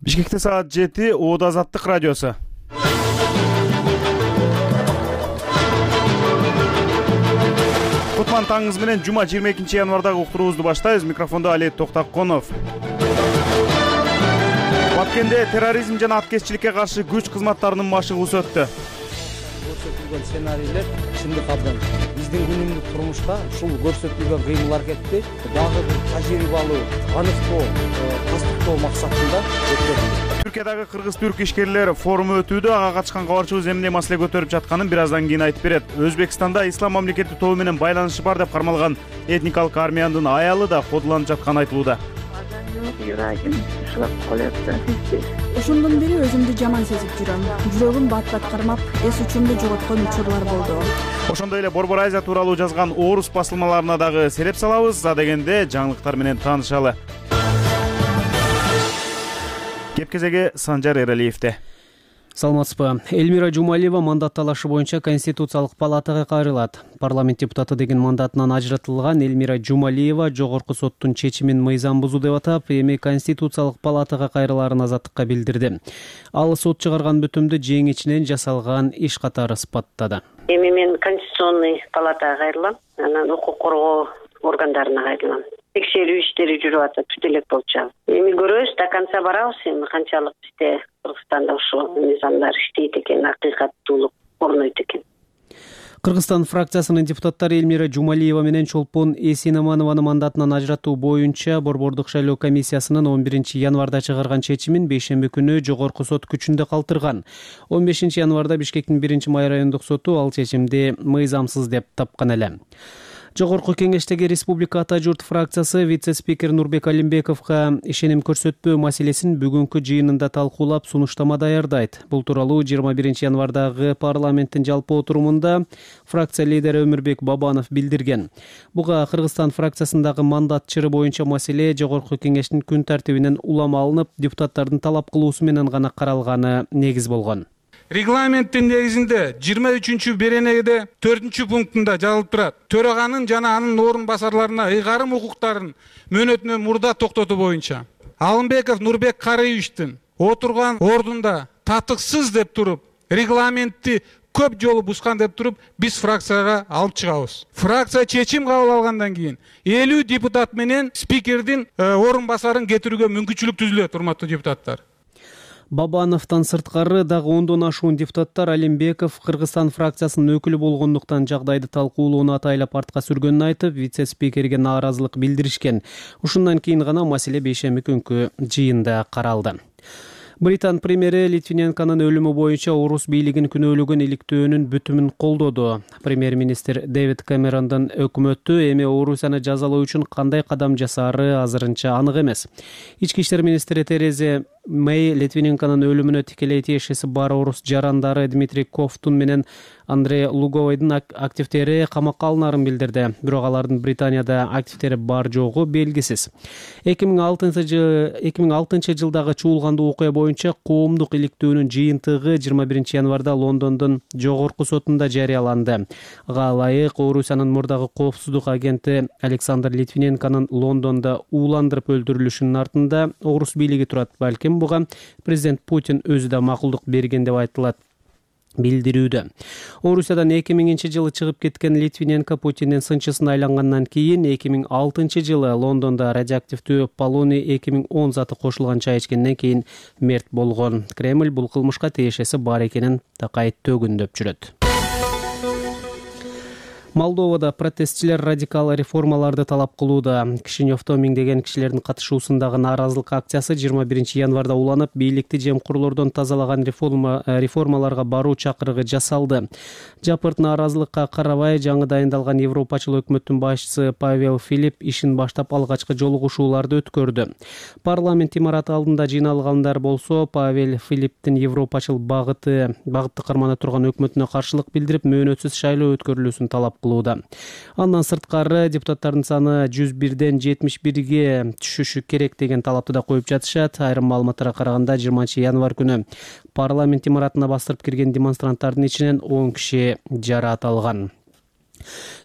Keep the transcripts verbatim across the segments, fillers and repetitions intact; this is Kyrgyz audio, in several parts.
Бишкекте саат жети, Оода Азаттык радиосу. Кутман таңыңыз менен жума жыйырма экинчи январдагы уктуруубузду баштайбыз. Микрофондо Али Токтаконов. Баткенде терроризм жана аткезчиликке каршы күч кызматтарынын машыгуусу өттү. Көрсөтүлгөн сценарийлер чындык абдан биздин күнүмдүк турмушта ушул көрсөтүлгөн кыймыл-аракетти дагы бир тажрыйбалуу, аныктоо, тастыктоо максатында өткөрүлдү. Түркиядагы кыргыз-түрк ишкерлер форуму өтүүдө. Ага катышкан кабарчыбыз эмне маселе көтөрүп жатканын бир аздан кийин айтып берет. Өзбекстанда ислам мамлекети тобу менен байланышы бар деп кармалган этникалык армиянын аялы да кодуланып жатканы айтылууда. Ошондон бери өзүмдү жаман сезип жүрөм. Жүрөгүм бат-бат кармап, эс учумду жоготкон учурлар болду. Ошондой эле Борбор Азия тууралуу жазган орус басылмаларына дагы сереп салабыз. А дегенде жаңылыктар менен таанышалы. Кеп кезеги Санжар Эралиевде. Саламатсызбы. Элмира Жумалиева мандат талашы боюнча Конституциялык палатага кайрылат. Парламент депутаты деген мандатынан ажыратылган Элмира Жумалиева жогорку соттун чечимин мыйзам бузуу деп атап, эми Конституциялык палатага кайрылаарын Азаттыкка билдирди. Ал сот чыгарган бүтүмдү жеңичинен жасалган иш катары сыпаттады. Эми мен Конституционный палатага кайрылам, анан укук коргоо органдарына кайрылам. Текшерүү иштери жүрүп атат, бүт элек болчу. Эми көрөбүз, до конца барабыз, эми канчалык бизде Кыргызстанда ушул мыйзамдар иштейт экен, акыйкаттуулук орнойт экен. Кыргызстан фракциясынын депутаттары Элмира Жумалиева менен Чолпон Эсинаманованы мандатынан ажыратуу боюнча Борбордук шайлоо комиссиясынын он биринчи январда чыгарган чечимин бейшемби күнү жогорку сот күчүндө калтырган. он бешинчи январда Бишкектин биринчи май райондук соту ал чечимди мыйзамсыз деп тапкан эле. Жогорку кеңештеги Республика Ата журт фракциясы вице-спикер Нурбек Алимбековго ишеним көрсөтпөө маселесин бүгүнкү жыйынында талкуулап сунуштама даярдайт. Бул тууралуу жыйырма биринчи январдагы парламенттин жалпы отурумунда фракция лидери Өмүрбек Бабанов билдирген. Буга Кыргызстан фракциясындагы мандат чыры боюнча маселе жогорку кеңештин күн тартибинен улам алынып, депутаттардын талап кылуусу менен гана каралганы негиз болгон. Регламенттин негизинде жыйырма үчүнчү беренегиде төртүнчү пунктунда жазылып турат. Төраганын жана анын орун басарларына ыйгарым укуктарын мөөнөтүнөн мурда токтотуу боюнча Алымбеков Нурбек Карыевичтин отурган ордунда татыксыз деп туруп, регламентти көп жолу бускан деп туруп, биз фракцияга алып чыгабыз. Фракция чечим кабыл алгандан кийин элүү депутат менен спикердин орун басарын кетирүүгө мүмкүнчүлүк түзүлөт, урматтуу депутаттар. Бабановтон сырткары дагы ондон ашуун депутаттар Алимбеков Кыргызстан фракциясынын өкүлү болгондуктан жагдайды талкуулоону атайлап артка сүргөнүн айтып, вице-спикерге нааразылык билдиришкен. Ушундан кийин гана маселе бейшемби күнкү жыйында каралды. Британ премьери Литвиненконун өлүмү боюнча орус бийлигин күнөөлөгөн иликтөөнүн бүтүмүн колдоду. Премьер-министр Дэвид Кэмерондун өкмөтү эми Орусияны жазалоо үчүн кандай кадам жасаары азырынча анык эмес. Ички иштер министри Тереза Мэй Литвиненконун өлүмүнө тикелей тиешеси бар орус жарандары Дмитрий Ковтун менен Андрей Луговойдун активдери камакка алынаарын билдирди. Бирок алардын Британияда активдери бар жогу белгисиз. эки миң алтынчы жылдагы чуулгандуу окуя боюнча коомдук иликтөөнүн жыйынтыгы жыйырма биринчи январда Лондондун жогорку сотунда жарыяланды. Ага ылайык Орусиянын мурдагы коопсуздук агенти Александр Литвиненконун Лондондо ууландырып өлтүрүлүшүнүн артында орус бийлиги турат. Балким буга президент Путин өзү да макулдук берген деп айтылат билдирүүдө. Орусиядан эки миңинчи жылы чыгып кеткен Литвиненко Путиндин сынчысына айлангандан кийин эки миң алтынчы жылы Лондондо радиоактивдүү полоний эки миң он заты кошулган чай ичкенден кийин мерт болгон. Кремль бул кылмышка тиешеси бар экенин такайттуу күндөп жүрөт. Молдовада протестчилер радикал реформаларды талап кылууда. Кишиневдо миңдеген кишилердин катышуусундагы нааразылык акциясы жыйырма биринчи январда уланып, бийликти жемкурлордон тазалаган реформа реформаларга баруу чакырыгы жасалды. Жапырт нааразылыкка карабай, жаңы дайындалган Европачыл өкмөттүн башчысы Павел Филипп ишин баштап алгачкы жолугушууларды өткөрдү. Парламент имараты алдында жыйналгандар болсо, Павел Филипптин Европачыл багыты багытты кармана турган өкмөтүнө каршылык билдирип, мөөнөтсүз шайлоо өткөрүлүүсүн талап кылууда. Андан сырткары депутаттардын саны жүз бирден жетимиш бирге түшүшү керек деген талапты да коюп жатышат. Айрым маалыматтарга караганда жыйырманчы январ күнү парламент имаратына бастырып кирген демонстранттардын ичинен он киши жараат алган.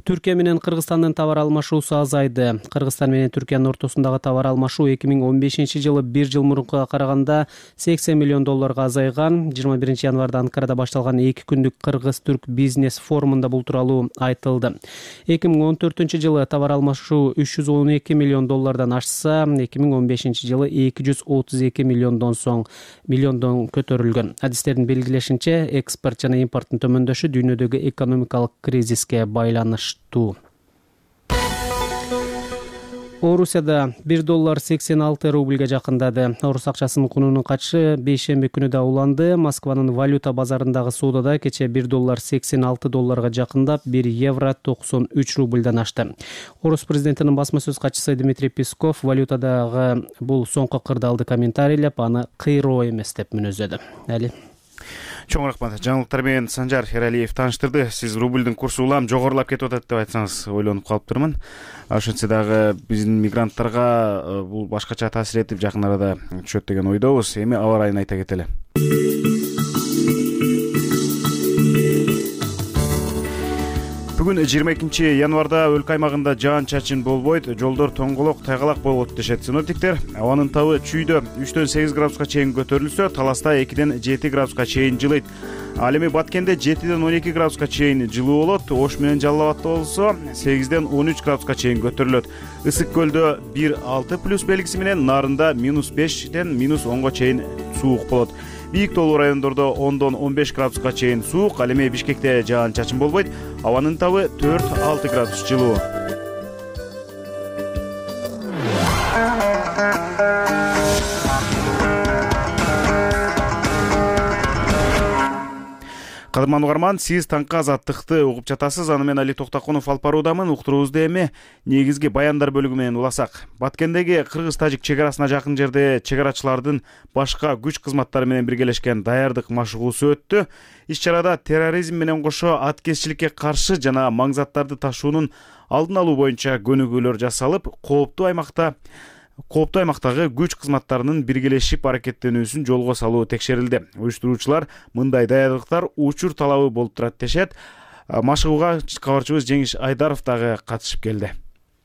Түркия менен Кыргызстандын товар алмашуусу азайды. Кыргызстан менен Түркиянын ортосундагы товар алмашуу эки миң он бешинчи жылы бир жыл мурункуга караганда сексен миллион долларга азайган. жыйырма биринчи январда Анкарада башталган эки күндүк Кыргыз-Түрк бизнес форумунда бул тууралуу айтылды. эки миң он төртүнчү жылы товар алмашуу үч жүз он эки миллион доллардан ашса, эки миң он бешинчи жылы эки жүз отуз эки миллиондон соң миллиондон көтөрүлгөн. Адистердин белгилешинче, экспорт жана импорттун төмөндөшү дүйнөдөгү экономикалык кризиске байланыштуу. Орусияда бир доллар сексен алты рубльге жакындады. Орус акчасынын кунунун качышы бейшемби күнү да уланды. Москванын валюта базарындагы соодада кече бир доллар сексен алты долларга жакындап, бир евро токсон үч рубльдан ашты. Орус президентинин басма сөз катчысы Дмитрий Песков валютадагы бул соңку кырдаалды комментарийлеп, аны кыйроо эмес деп мүнөздөдү. Али Чоң рахмат. Жаңылыктар менен Санжар Эралиев тааныштырды. Сиз рубльдин курсу улам жогорулап кетип атат деп айтсаңыз ойлонуп калыптырмын. Ошентсе дагы биздин мигранттарга бул башкача таасир этип жакын арада түшөт деген ойдобуз. Эми аба ырайын айта кетели. Бүгүн жыйырма экинчи январда өлкө аймагында жаан-чачын болбойт, жолдор тоңголок, тайгалак болот дешет синоптиктер. Абанын табы чүйдө үчтөн сегиз градуска чейин көтөрүлсө, Таласта экиден жети градуска чейин жылыйт. Ал эми Баткенде жетиден он эки градуска чейин жылуу болот, Ош менен Жалал Абадта болсо сегизден он үч градуска чейин көтөрүлөт. Ысык көлдө бир алты плюс белгиси менен, Нарында минус бештен минус онго чейин суук болот. Бийик тоолуу райондордо ондон он беш градуска чейин суук, ал эми Бишкекте жаан-чачын болбойт. Абанын табы төрт алты градус жылуу. Кадырман угарман, сиз таңкы азаттыкты угуп жатасыз. Аны мен Али Токтакунов алып баруудамын. Уктуруубузду эми негизги баяндар бөлүгү менен уласак. Баткендеги кыргыз-тажик чек арасына жакын жерде чек-арачылардын башка күч кызматтары менен биргелешкен даярдык машыгуусу өттү. Иш-чарада терроризм менен кошо аткезчиликке каршы жана маңзаттарды ташуунун алдын алуу боюнча көнүгүүлөр жасалып, кооптуу аймакта Кооптуу аймактагы күч кызматтарынын биргелешип аракеттенүүсүн жолго салуу текшерилди. Уюштуруучулар мындай даярдыктар учур талабы болуп турат дешет. Машыгууга кабарчыбыз Жеңиш Айдаров дагы катышып келди.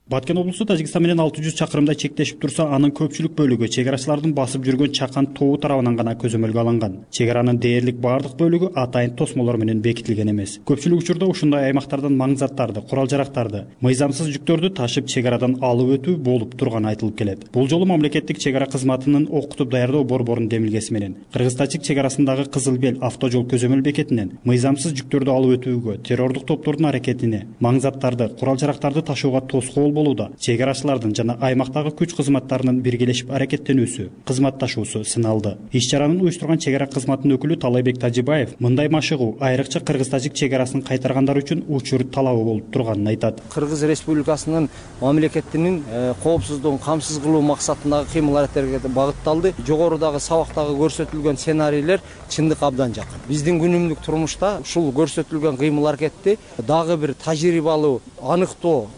Баткен облусу Тажикстан менен алты жүз чакырымдай чектешип турса, анын көпчүлүк бөлүгү чек арачылардын басып жүргөн Чакан тобу тарабынан гана көзөмөлгө алынган. Чек аранын дээрлик бардык бөлүгү атайын тосмолор менен бекитилген эмес. Көпчүлүк учурда ушундай аймактардан маңзаттарды, курал-жарактарды, мыйзамсыз жүктөрдү ташып чек арадан алып өтүү болуп турганы айтылып келет. Бул жолу мамлекеттик чек ара кызматынын окутуп даярдоо борборунун демилгеси менен Кыргыз-Тажик чек арасындагы Кызыл Бел автожол көзөмөл бекетинен мыйзамсыз жүктөрдү алып өтүүгө, террордук топтордун аракетине, маңзаттарды, курал-жарактарды ташууга тоскоол болууда чек арачылардын жана аймактагы күч кызматтарынын биргелешип аракеттенүүсү, кызматташуусу сыналды. Иш-чаранын уюштурган чек ара кызматынын өкүлү Талайбек Тажибаев мындай машыгуу айрыкча Кыргыз-Тажик чек арасын кайтаргандар үчүн учур талабы болуп турганын айтат. Кыргыз Республикасынын мамлекетинин коопсуздугун камсыз кылуу максатындагы кыймыл-аракеттерге багытталды. Жогорудагы сабактагы көрсөтүлгөн сценарийлер чындык абдан жакын. Биздин күнүмдүк турмушта ушул көрсөтүлгөн кыймыл-аракетти дагы бир тажрыйбалуу, аныктоо,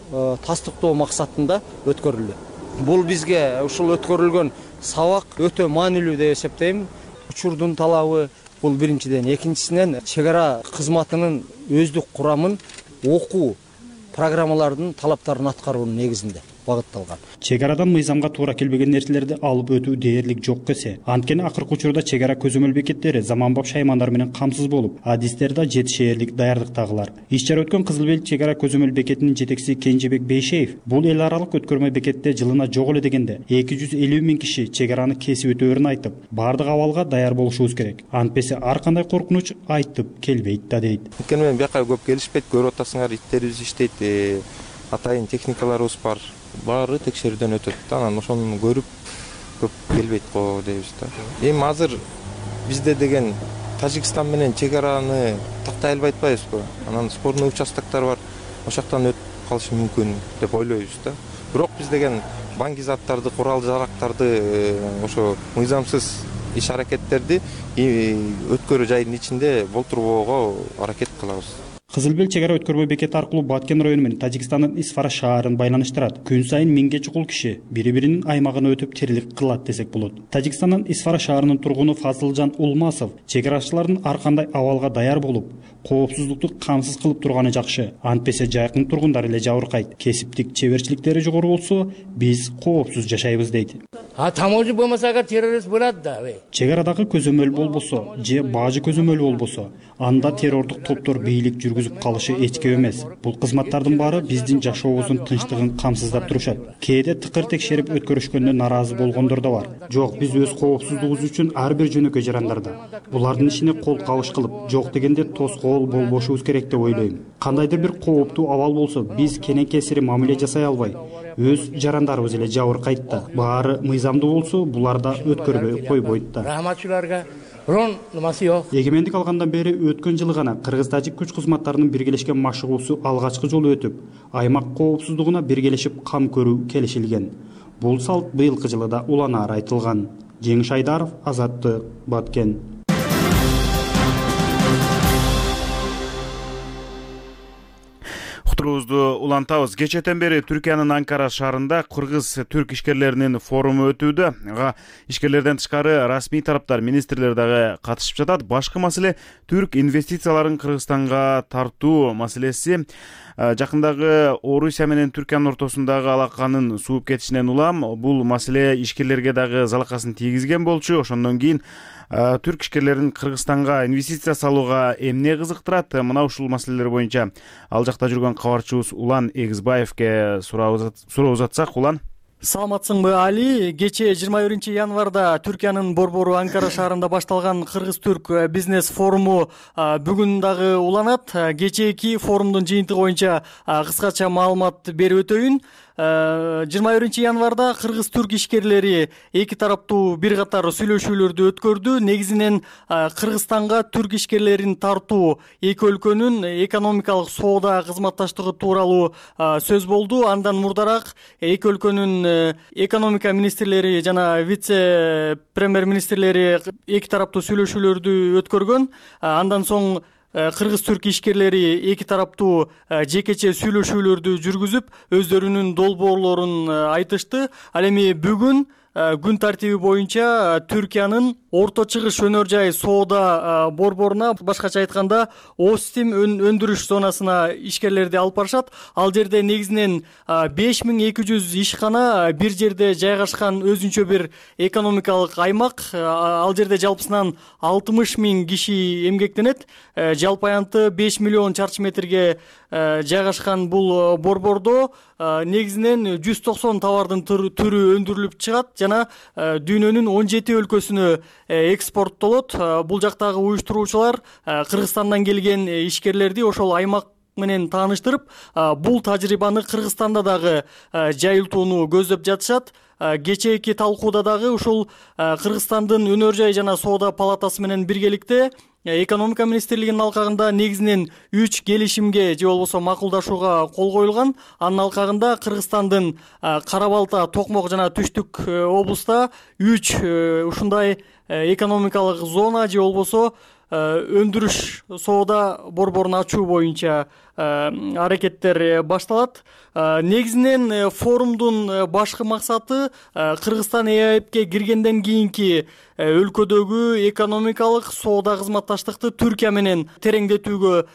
тастыктоо максатында өткөрүлдү. Бул бизге ушул өткөрүлгөн сабак өтө маанилүү деп эсептейм. Учурдун талабы бул биринчиден, экинчисинен чек ара кызматынын өздүк курамын окуу программалардын талаптарын аткаруунун негизинде багытталган. Чек арадан мыйзамга туура келбеген нерселерди алып өтүү дээрлик жок кесе. Анткени акыркы учурда чек ара көзөмөл бекеттери заманбап шаймандар менен камсыз болуп, адистер да жетишээрлик даярдыктагылар. Иш-чара өткөн Кызыл Бел чек ара көзөмөл бекетинин жетекчиси Кенжебек Бейшеев бул эл аралык өткөрмө бекетте жылына жок эле дегенде эки жүз элүү миң киши чек араны кесип өтөөрүн айтып, бардык абалга даяр болушубуз керек. Антпесе ар кандай коркунуч айтып келбейт да дейт. Анткени менен бияка көп келишпейт, көрүп атасыңар, иттерибиз иштейт, атайын техникаларыбыз бар. Баары текшерүүдөн өтөт. Анан ошону көрүп көп келбейт го дейбиз да. Эми азыр бизде деген Тажикстан менен чек араны тактай албай атпайбызбы? Анан спорный участоктор бар. Ошоктон өтүп калышы мүмкүн деп ойлойбуз да. Бирок биз деген баңги-заттарды, курал-жарактарды, ошо мыйзамсыз иш-аракеттерди өткөрүү жайдын ичинде болтурбоого аракет кылабыз. Кызыл Бел чек ара өткөрбө бекети аркылуу Баткен району менен Тажикстандын Исфара шаарын байланыштырат. Күн сайын миңге чукул киши бири-биринин аймагына өтүп тирилик кылат десек болот. Тажикстандын Исфара шаарынын тургуну Фазылжан Улмасов чек арачылардын ар кандай абалга даяр болуп, коопсуздукту камсыз кылып турганы жакшы. Антпесе жайкын тургундар эле жабыркайт. Кесиптик чеберчиликтери жогору болсо, биз коопсуз жашайбыз дейт. А таможня болмаса террорист болот да. Чек арадагы көзөмөл болбосо, же бажы көзөмөл болбосо, анда террордук топтор бийлик жүргүзүп калышы эч кеп эмес. Бул кызматтардын баары биздин жашообуздун тынчтыгын камсыздап турушат. Кээде тыкыр текшерип өткөрүшкөндө наразы болгондор да бар. Жок, биз өз коопсуздугубуз үчүн ар бир жөнөкөй жарандарда булардын ишине кол кабыш кылып, жок дегенде тоскоол болбошубуз керек деп ойлойм. Кандайдыр бир кооптуу абал болсо, биз кенен кесири мамиле жасай албай, өз жарандарыбыз эле жабыркайт да. Баары мыйзамдуу болсо, буларда өткөрбөй койбойт да. Рахматчыларга рон нумасы жок. Эгемендик алгандан бери өткөн жылы гана кыргыз-тажик күч кызматтарынын биргелешкен машыгуусу алгачкы жолу өтүп, аймак коопсуздугуна биргелешип кам көрүү келишилген. Бул салт быйылкы жылы да уланаар айтылган. Жеңиш Айдаров, Азаттык, Баткен. Уктуруубузду улантабыз. Кечэтен бери Түркиянын Анкара шаарында кыргыз-түрк ишкерлеринин форуму өтүүдө. Ага ишкерлерден тышкары расмий тараптар, министрлер дагы катышып жатат. Башкы маселе түрк инвестицияларын Кыргызстанга тартуу маселеси. Жакындагы Орусия менен Түркиянын ортосундагы алаканын сууп кетишинен улам бул маселе ишкерлерге дагы залакасын тийгизген болчу. Ошондон кийин түрк ишкерлерин Кыргызстанга инвестиция салууга эмне кызыктырат? Мына ушул маселелер боюнча ал жакта жүргөн кабарчыбыз Улан Эгизбаевке суроо узатсак. Улан, саламатсыңбы Али? Кечээ жыйырма биринчи январда Түркиянын борбору Анкара шаарында башталган кыргыз-түрк бизнес форуму бүгүн дагы уланат. Кечээки форумдун жыйынтыгы боюнча кыскача маалымат берип өтөйүн. жыйырма биринчи январда кыргыз-түрк ишкерлери эки тараптуу бир катар сүйлөшүүлөрдү өткөрдү. Негизинен Кыргызстанга түрк ишкерлерин тартуу эки өлкөнүн экономикалык соода кызматташтыгы тууралуу сөз болду. Андан мурдараак эки өлкөнүн экономика министрлери жана вице премьер министрлери эки тараптуу сүйлөшүүлөрдү өткөргөн. Андан соң кыргыз-түрк ишкерлери эки тараптуу жекече сүйлөшүүлөрдү жүргүзүп, өздөрүнүн долбоорлорун айтышты. Ал эми бүгүн күн тартиби боюнча Түркиянын Орто Чыгыш өнөр жай соода борборуна, башкача айтканда Остим өндүрүш зонасына ишкерлерди алып барышат. Ал жерде негизинен беш миң эки жүз ишкана бир жерде жайгашкан өзүнчө бир экономикалык аймак. Ал жерде жалпысынан алтымыш миң киши эмгектенет. Жалпы аянты беш миллион чарчы метрге жайгашкан бул борбордо негизинен жүз токсон товардын түрү өндүрүлүп чыгат жана дүйнөнүн он жети өлкөсүнө экспорттолот. Бул жактагы уюштуруучулар Кыргызстандан келген ишкерлерди ошол аймак менен тааныштырып, бул тажрыйбаны Кыргызстанда дагы жайылтууну көздөп жатышат. Кечээки талкууда дагы ушул Кыргызстандын өнөр жай жана соода палатасы менен биргеликте экономика министрлигинин алкагында негизинен үч келишимге же болбосо макулдашууга кол коюлган. Анын алкагында Кыргызстандын Кара Балта, Токмок жана Түштүк облуста үч ушундай экономикалык зона же болбосо өндүрүш соода борборун ачуу боюнча аракеттер башталат. Негизинен форумдун башкы максаты Кыргызстан ЭАЭПке киргенден кийинки өлкөдөгү экономикалык соода кызматташтыкты Түркия менен тереңдетүүгө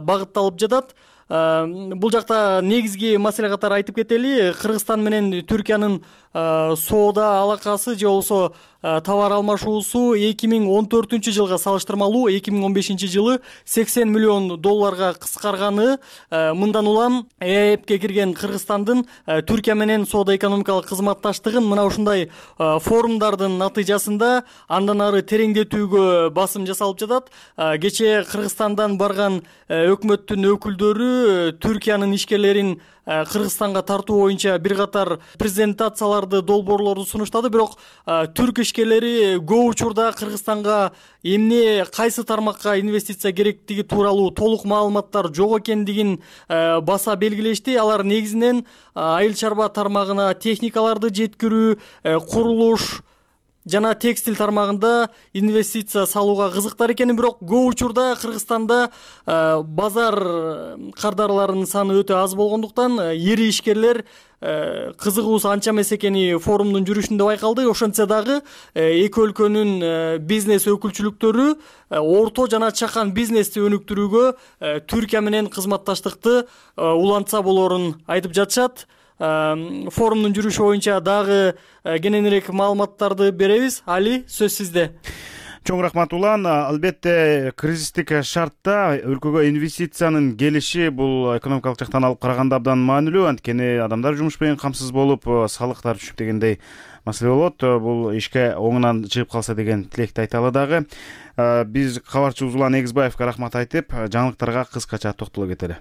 багытталып жатат. Бул жакта негизги маселе катары айтып кетели. Кыргызстан менен Түркиянын соода алакасы же болбосо товар алмашуусу эки миң он төртүнчү жылга салыштырмалуу эки миң он бешинчи жылы сексен миллион долларга кыскарганы. Мындан улам ЭАЭПке кирген Кыргызстандын Түркия менен соода экономикалык кызматташтыгын мына ушундай форумдардын натыйжасында андан ары тереңдетүүгө басым жасалып жатат. Кечээ Кыргызстандан барган өкмөттүн өкүлдөрү Түркиянын ишкерлерин Кыргызстанга тартуу боюнча бир катар презентацияларды, долбоорлорду сунуштады. Бирок түрк ишкерлери көп учурда Кыргызстанга эмне, кайсы тармакка инвестиция керектиги тууралуу толук маалыматтар жок экендигин баса белгилешти. Алар негизинен айыл чарба тармагына техникаларды жеткирүү, курулуш, жана текстиль тармагында инвестиция салууга кызыктар экенин, бирок көп учурда Кыргызстанда базар кардарларынын саны өтө аз болгондуктан эри ишкерлер кызыгуусу анча эмес экени форумдун жүрүшүндө байкалды. Ошентсе дагы эки өлкөнүн бизнес өкүлчүлүктөрү орто жана чакан бизнести өнүктүрүүгө Түркия менен кызматташтыкты улантса болорун айтып жатышат. Форумдун жүрүшү боюнча дагы кененирээк маалыматтарды беребиз. Али, сөз сизде. Чоң рахмат Улан. Албетте кризистик шартта өлкөгө инвестициянын келиши бул экономикалык жактан алып караганда абдан маанилүү. Анткени адамдар жумуш менен камсыз болуп, салыктар түшүп дегендей маселе болот. Бул ишке оңунан чыгып калса деген тилекти айталы дагы. Биз кабарчыбыз Улан Эгизбаевге рахмат айтып, жаңылыктарга кыскача токтоло кетели.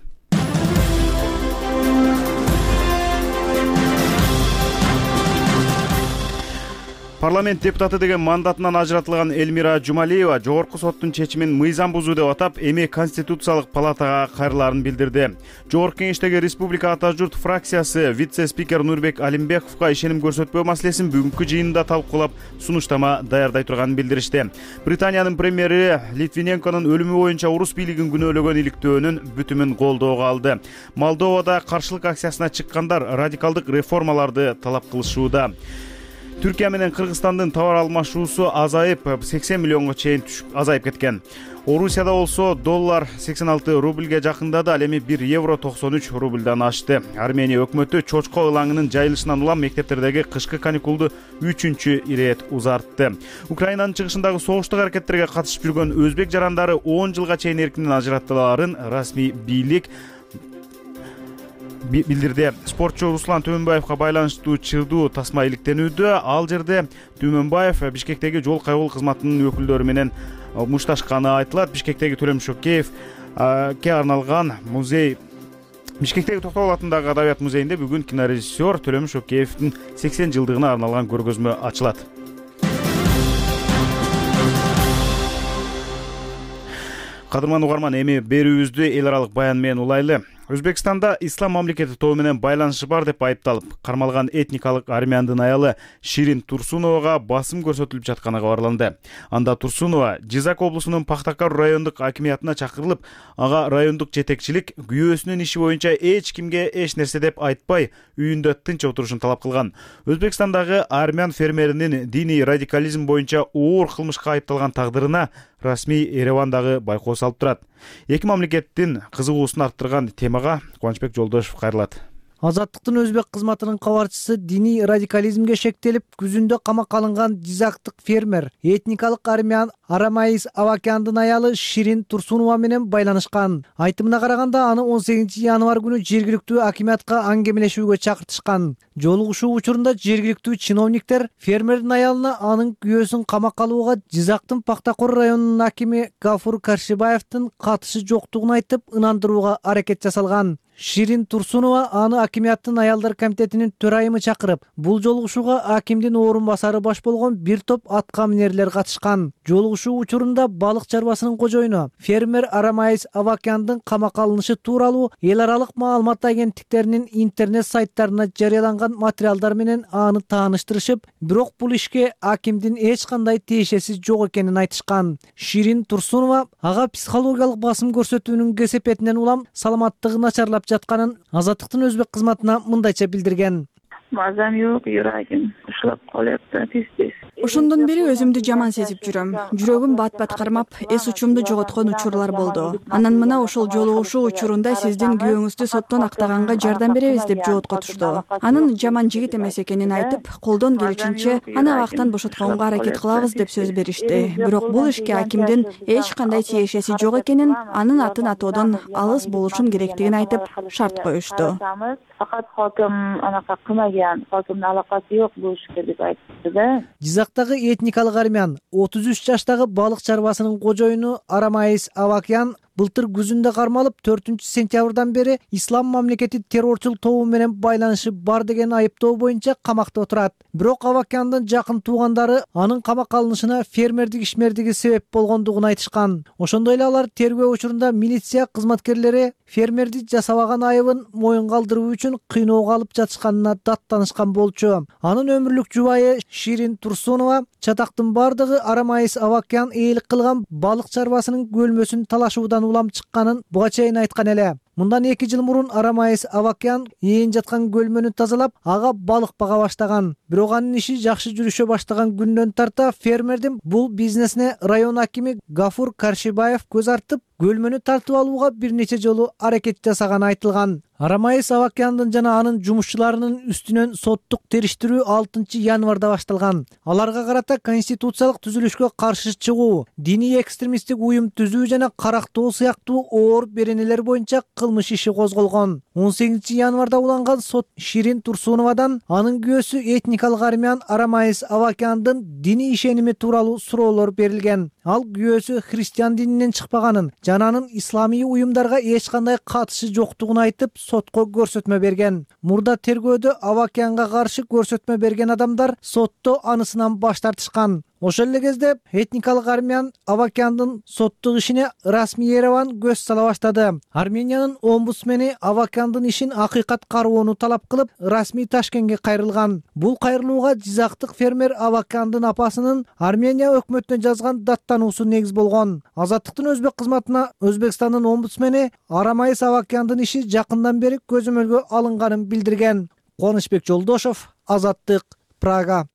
Парламент депутаты деген мандатынан ажыратылган Элмира Жумалиева жогорку соттун чечимин мыйзам бузуу деп атап, эми Конституциялык палатага кайрылаарын билдирди. Жогорку кеңештеги Республика Ата журт фракциясы вице-спикер Нурбек Алимбековго ишеним көрсөтпөө маселесин бүгүнкү жыйында талкуулап, сунуштама даярдай турганын билдиришти. Британиянын премьери Литвиненконун өлүмү боюнча орус бийлигин күнөөлөгөн иликтөөнүн бүтүмүн колдоого алды. Молдовада каршылык акциясына чыккандар радикалдык реформаларды талап кылышууда. Түркия менен Кыргызстандын товар алмашуусу азайып, сексен миллионго чейин түшүп азайып кеткен. Орусияда болсо доллар сексен алты рубльге жакындады, ал эми бир евро токсон үч рубльдан ашты. Армения өкмөтү чочко ылаңынын жайылышынан улам мектептердеги кышкы каникулду үчүнчү ирет узартты. Украинанын чыгышындагы согуштук аракеттерге катышып жүргөн өзбек жарандары он жылга чейин эркинен ажыраттыларын расмий бийлик билдирди. Спортчу Руслан Түмөнбаевга байланыштуу чырдуу тасма иликтенүүдө. Ал жерде Түмөнбаев Бишкектеги жол кайгыл кызматынын өкүлдөрү менен мушташканы айтылат. Бишкектеги Төлөм Шөкеевке арналган музей Бишкектеги Токтогул атындагы Адабият музейинде бүгүн кинорежиссер Төлөм Шөкеевдин сексен жылдыгына арналган көргөзмө ачылат. Кадырман угарман, эми берүүбүздү эл аралык баян менен улайлы. Өзбекстанда ислам мамлекети тобу менен байланышы бар деп айыпталып, кармалган этникалык армяндын аялы Ширин Турсуновага басым көрсөтүлүп жатканы кабарланды. Анда Турсунова Жизак облусунун Пахтакар райондук акимиятына чакырылып, ага райондук жетекчилик күйөөсүнүн иши боюнча эч кимге эч нерсе деп айтпай, үйүндө тынч отурушун талап кылган. Өзбекстандагы армян фермеринин диний радикализм боюнча оор кылмышка айыпталган тагдырына расмий Еревандагы байкоо салып турат. Эки мамлекеттин кызыгуусун арттырган темага Кубанычбек Жолдошев кайрылат. Азаттыктын өзбек кызматынын кабарчысы диний радикализмге шектелип, күзүндө камакка алынган жизактык фермер, этникалык армян Арамаис Авакяндын аялы Ширин Турсунова менен байланышкан. Айтымына караганда, аны он сегизинчи январь күнү жергиликтүү акимиятка аңгемелешүүгө чакыртышкан. Жолугушуу учурунда жергиликтүү чиновниктер фермердин аялына анын күйөөсүн камакка алууга Жизактын Пахтакор районунун акими Гафур Каршибаевдин катышы жоктугун айтып, ынандырууга аракет жасалган. Ширин Турсунова аны акимияттын аялдар комитетинин төрайымы чакырып, бул жолугушууга акимдин орун басары баш болгон бир топ атка минерлер катышкан. Жолугушуу учурунда балык чарбасынын кожоюну фермер Арамаис Авакяндын камакка алынышы тууралуу эл аралык маалымат агенттиктеринин интернет сайттарына жарыяланган материалдар менен аны тааныштырышып, бирок бул ишке акимдин эч кандай тиешеси жок экенин айтышкан. Ширин Турсунова ага психологиялык басым көрсөтүүнүн кесепетинен улам саламаттыгы начарлап жатканын Азаттыктын өзбек кызматына мындайча билдирген. Мазам жок, юрагым ушлап калат, тез-тез. Ошондон бери өзүмдү жаман сезип жүрөм. Жүрөгүм бат-бат кармап, эс учумду жоготкон учурлар болду. Анан мына ошол жолугушуу учурунда сиздин күйөөңүздү соттон актаганга жардам беребиз деп жооткотушту. Анын жаман жигит эмес экенин айтып, колдон келишинче аны абактан бошотконго аракет кылабыз деп сөз беришти. Бирок бул ишке акимдин эч кандай тиешеси жок экенин, анын атын атоодон алыс болушун керектигин айтып, шарт коюшту. Факат хоким анака кылмаган, хокимдин алакасы жок бул ишке деп айтты да. Жизактагы этникалык армян отуз үч жаштагы балык чарбасынын кожоюну Арамаис Авакян былтыр күзүндө кармалып, төртүнчү сентябрдан бери ислам мамлекети террорчул тобу менен байланышы бар деген айыптоо боюнча камакта отурат. Бирок Авакяндын жакын туугандары анын камакка алынышына фермердик ишмердиги себеп болгондугун айтышкан. Ошондой эле алар тергөө учурунда милиция кызматкерлери фермерди жасабаган айыбын моюнга алдыруу үчүн кыйноого алып жатышканына даттанышкан болчу. Анын өмүрлүк жубайы Ширин Турсунова чатактын бардыгы Арамайыс Авакян ээлик кылган балык чарбасынын көлмөсүн талашуудан улам чыкканын буга чейин айткан эле. Мындан эки жыл мурун Арамайыс Авакян ээн жаткан көлмөнү тазалап, ага балык бага баштаган. Бирок анын иши жакшы жүрүшө баштаган күндөн тарта фермердин бул бизнесине район акими Гафур Каршибаев көз артып, көлмөнү тартып алууга бир нече жолу аракет жасаганы айтылган. Арамайыс Авакяндын жана анын жумушчуларынын үстүнөн соттук териштирүү алтынчы январда башталган. Аларга карата конституциялык түзүлүшкө каршы чыгуу, диний экстремисттик уюм түзүү жана карактоо сыяктуу оор беренелер боюнча кылмыш иши козголгон. он сегизинчи январда уланган сот Ширин Турсуновадан анын күйөөсү этникалык армян Арамайыс Авакяндын диний ишеними тууралуу суроолор берилген. Ал күйөөсү христиан дининен чыкпаганын жана анын исламий уюмдарга эч кандай катышы жоктугун айтып, сотко көрсөтмө берген. Мурда тергөөдө Авакянга каршы көрсөтмө берген адамдар сотто анысынан баш тартышкан. Ошол эле кезде этникалык армян Авакяндын соттук ишине расмий Ереван көз сала баштады. Армениянын омбудсмени Авакяндын ишин акыйкат кароону талап кылып, расмий Ташкентке кайрылган. Бул кайрылууга жизактык фермер Авакяндын апасынын Армения өкмөтүнө жазган даттануусу негиз болгон. Азаттыктын өзбек кызматына Өзбекстандын омбудсмени Арамайыс Авакяндын иши жакындан бери көзөмөлгө алынганын билдирген. Кубанычбек Жолдошов, Азаттык, Прага.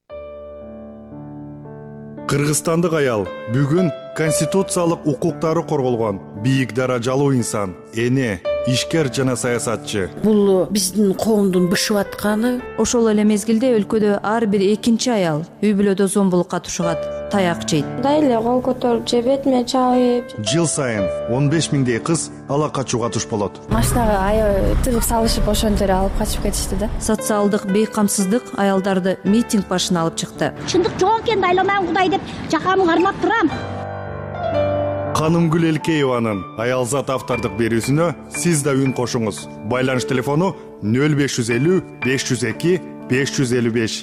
Кыргызстандык аял бүгүн конституциялык укуктары корголгон бийик даражалуу инсан, эне, ишкер жана саясатчы. Бул биздин коомдун бышып атканы. Ошол эле мезгилде өлкөдө ар бир экинчи аял үй бүлөдө зомбулукка тушугат, таяк жейт. Дайле кол көтөрүп же бетиме чалып. Жыл сайын он беш миңдей кыз ала качууга туш болот. Машинага аябай тыгып салышып ошентип эле алып качып кетишти да. Социалдык бейкамсыздык аялдарды митинг башына алып чыкты. Чындык жок экен, дайламайм Кудай деп жакамды кармап турам. Канымгүл Элкееванын Аялзат автордук берүүсүнө сиз да үн кошуңуз. Байланыш телефону нөл беш жүз элүү беш жүз эки беш жүз элүү беш.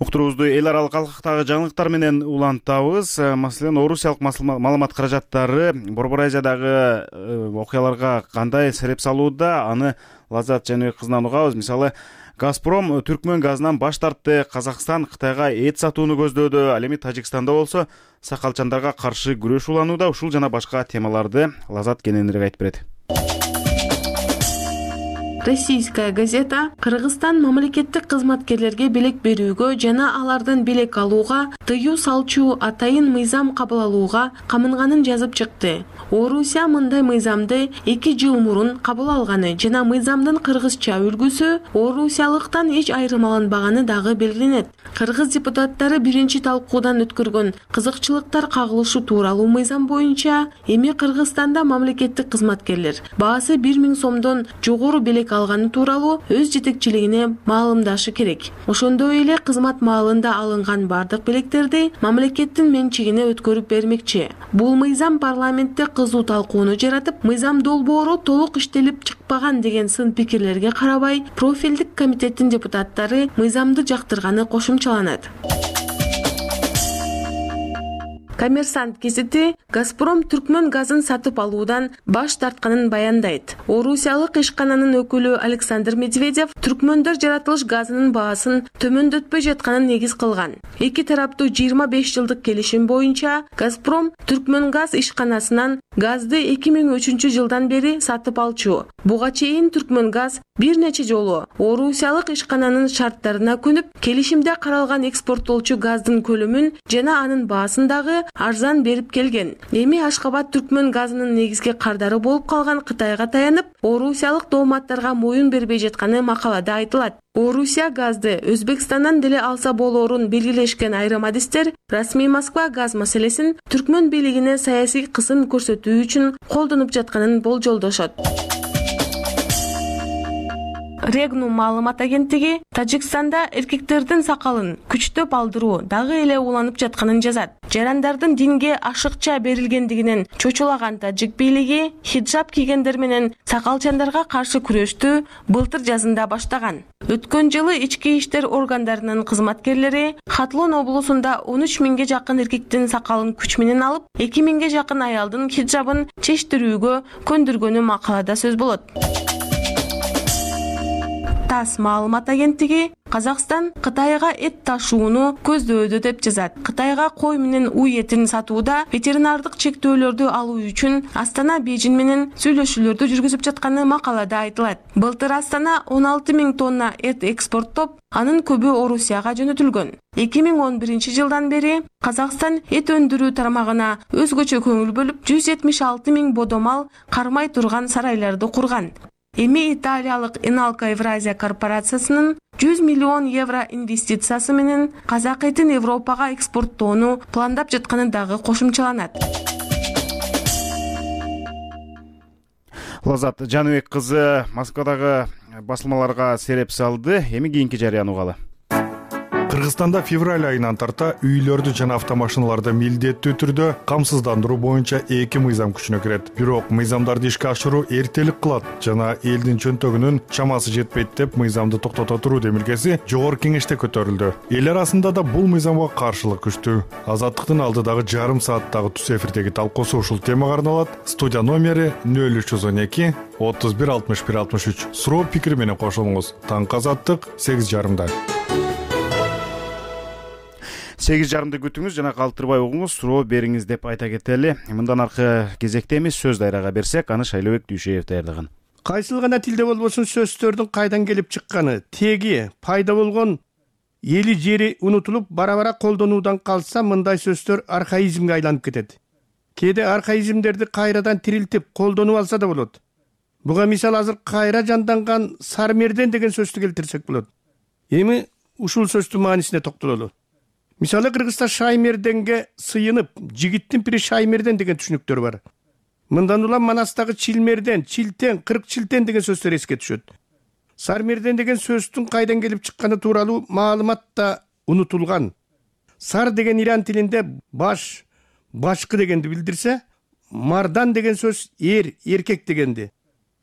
Уктуруубузду эл аралык алкактагы жаңылыктар менен улантабыз. Маселен, орусиялык маалымат каражаттары Борбор Азиядагы окуяларга кандай сереп салууда, аны Лазат Жаныбек кызынан угабыз. Мисалы, Газпром Түркмөн газынан баш тартты, Казакстан Кытайга эт сатууну көздөөдө, ал эми Тажикстанда болсо сакалчандарга каршы күрөш уланууда. Ушул жана башка темаларды Лазат кененирээк айтып берет. Российская газета Кыргызстан мамлекеттик кызматкерлерге белек берүүгө жана алардан белек алууга тыюу салчу атайын мыйзам кабыл алууга камынганын жазып чыкты. Орусия мындай мыйзамды эки жыл мурун кабыл алганы жана мыйзамдын кыргызча үлгүсү орусиялыктан эч айырмаланбаганы дагы белгиленет. Кыргыз депутаттары биринчи талкуудан өткөргөн кызыкчылыктар кагылышы тууралуу мыйзам боюнча эми Кыргызстанда мамлекеттик кызматкерлер баасы бир миң сомдон жогору белек алганы тууралуу өз жетекчилигине маалымдашы керек. Ошондой эле кызмат маалында алынган бардык белектерди мамлекеттин менчигине өткөрүп бермекчи. Бул мыйзам парламентте кызуу талкууну жаратып, мыйзам долбоору толук иштелип чыкпаган деген сын пикирлерге карабай, профилдик комитеттин депутаттары мыйзамды жактырганы кошумчаланат. Коммерсант гезити Газпром Түркмөн газын сатып алуудан баш тартканын баяндайт. Орусиялык ишкананын өкүлү Александр Медведев түркмөндөр жаратылыш газынын баасын төмөндөтпөй жатканын негиз кылган. Эки тараптуу жыйырма беш жылдык келишим боюнча Газпром Түркмөн газ ишканасынан газды эки миң үчүнчү жылдан бери сатып алчу. Буга чейин Түркмөн газ бир нече жолу орусиялык ишкананын шарттарына көнүп, келишимде каралган экспорттолчу газдын көлөмүн жана анын баасын дагы арзан берип келген. Эми Ашкабад Түркмөн газынын негизги кардары болуп калган Кытайга таянып, орусиялык дооматтарга моюн бербей жатканы макалада айтылат. Орусия газды Өзбекстандан деле алса болоорун белгилешкен айрым адистер расмий Москва газ маселесин Түркмөн бийлигине саясий кысым көрсөтүү үчүн колдонуп жатканын болжолдошот. Регнум маалымат агенттиги Тажикстанда эркектердин сакалын күчтөп алдыруу дагы эле уланып жатканын жазат. Жарандардын динге ашыкча берилгендигинен чочулаган тажик бийлиги хиджаб кийгендер менен сакалчандарга каршы күрөштү былтыр жазында баштаган. Өткөн жылы ички иштер органдарынын кызматкерлери Хатлон облусунда он үч миңге жакын эркектин сакалын күч менен алып, эки миңге жакын аялдын хиджабын чечтирүүгө көндүргөнү макалада сөз болот. ТАСС маалымат агенттиги Казакстан Кытайга эт ташууну көздөөдө деп жазат. Кытайга кой менен уй этин сатууда ветеринардык чектөөлөрдү алуу үчүн Астана Бейжин менен сүйлөшүүлөрдү жүргүзүп жатканы макалада айтылат. Былтыр Астана он алты миң тонна эт экспорттоп, анын көбү Орусияга жөнөтүлгөн. эки миң он биринчи жылдан бери Казакстан эт өндүрүү тармагына өзгөчө көңүл бөлүп, жүз жетимиш алты миң бодомал кармай турган сарайларды курган. Эми италиялык Enalco Евразия корпорациясынын жүз миллион евро инвестициясы менен казак этин Европага экспорттоону пландап жатканы дагы кошумчаланат. Лазат Жаныбек кызы Москвадагы басылмаларга сереп салды. Эми кийинки жарыяны угалы. Кыргызстанда февраль айынан тарта үйлөрдү жана автомашиналарды милдеттүү түрдө камсыздандыруу боюнча эки мыйзам күчүнө кирет. Бирок мыйзамдарды ишке ашыруу эртелик кылат жана элдин чөнтөгүнүн чамасы жетпейт деп мыйзамды токтото туруу демилгеси жогорку кеңеште көтөрүлдү. Эл арасында да бул мыйзамга каршылык күчтүү. Азаттыктын алдыдагы жарым сааттагы түз эфирдеги талкуусу ушул темага арналат. Студия номери нөл үч жүз он эки отуз бир алтымыш бир алтымыш үч. Суроо пикир менен кошулуңуз. Таңкы Азаттык сегиз жарымда. сегиз жарымды күтүңүз жана калтырбай угуңуз, суроо бериңиз деп айта кетели. Мындан аркы кезекте эмес сөз дайрага берсек, аны Шайлообек Дүйшеев даярдаган. Кайсыл гана тилде болбосун сөздөрдүн кайдан келип чыкканы, теги, пайда болгон эли жери унутулуп, бара-бара колдонуудан калса, мындай сөздөр архаизмге айланып кетет. Кээде архаизмдерди кайрадан тирилтип, колдонуп алса да болот. Буга мисал азыр кайра жанданган сармерден деген сөздү келтирсек болот. Эми ушул сөздүн маанисине токтололу. Мисалы Кыргызста шаймерденге сыйынып, жигиттин пири шаймерден деген түшүнүктөр бар. Мындан улам Манастагы чилмерден, чилтен, кырк чилтен деген сөздөр эске түшөт. Сармерден деген сөздүн кайдан келип чыкканы тууралуу маалымат да унутулган. Сар деген иран тилинде баш, башкы дегенди билдирсе, мардан деген сөз эр, эркек дегенди.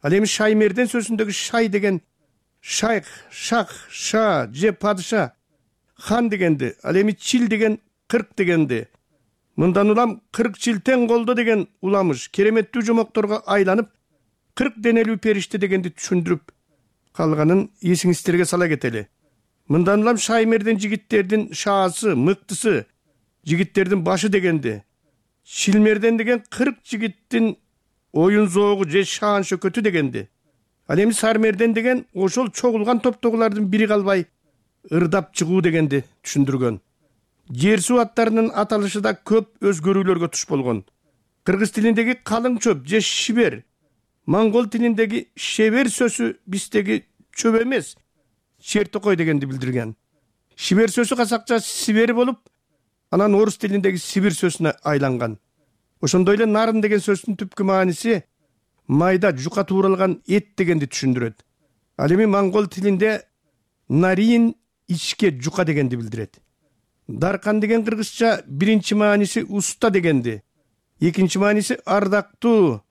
Ал эми шаймерден сөзүндөгү шай деген шайх, шах, ша же падыша, хан дегенди, ал эми чил деген кырк дегенди. Мындан улам кырк чилтен колдо деген уламыш кереметтүү жомокторго айланып, кырк денелүү периште дегенди түшүндүрүп калганын эсиңиздерге сала кетели. Мындан улам шаймерден жигиттердин шаасы, мыктысы, жигиттердин башы дегенди. Чилмерден деген кырк жигиттин оюн зоогу же шаан шөкөтү дегенди. Ал эми сармерден деген ошол чогулган топтогулардын бири калбай ырдап чыгуу дегенди түшүндүргөн. Жер суу аттарынын аталышы да көп өзгөрүүлөргө туш болгон. Кыргыз тилиндеги калың чөп же шибер, моңгол тилиндеги шебер сөзү биздеги чөп эмес, чертокой дегенди билдирген. Шибер сөзү казакча сибер болуп, анан орус тилиндеги сибир сөзүнө айланган. Ошондой эле нарын деген сөздүн түпкү мааниси майда жука тууралган эт дегенди түшүндүрөт. Ал эми моңгол тилинде нарин ичке жука дегенди билдирет. Даркан деген кыргызча биринчи мааниси уста дегенди, экинчи мааниси ардактуу,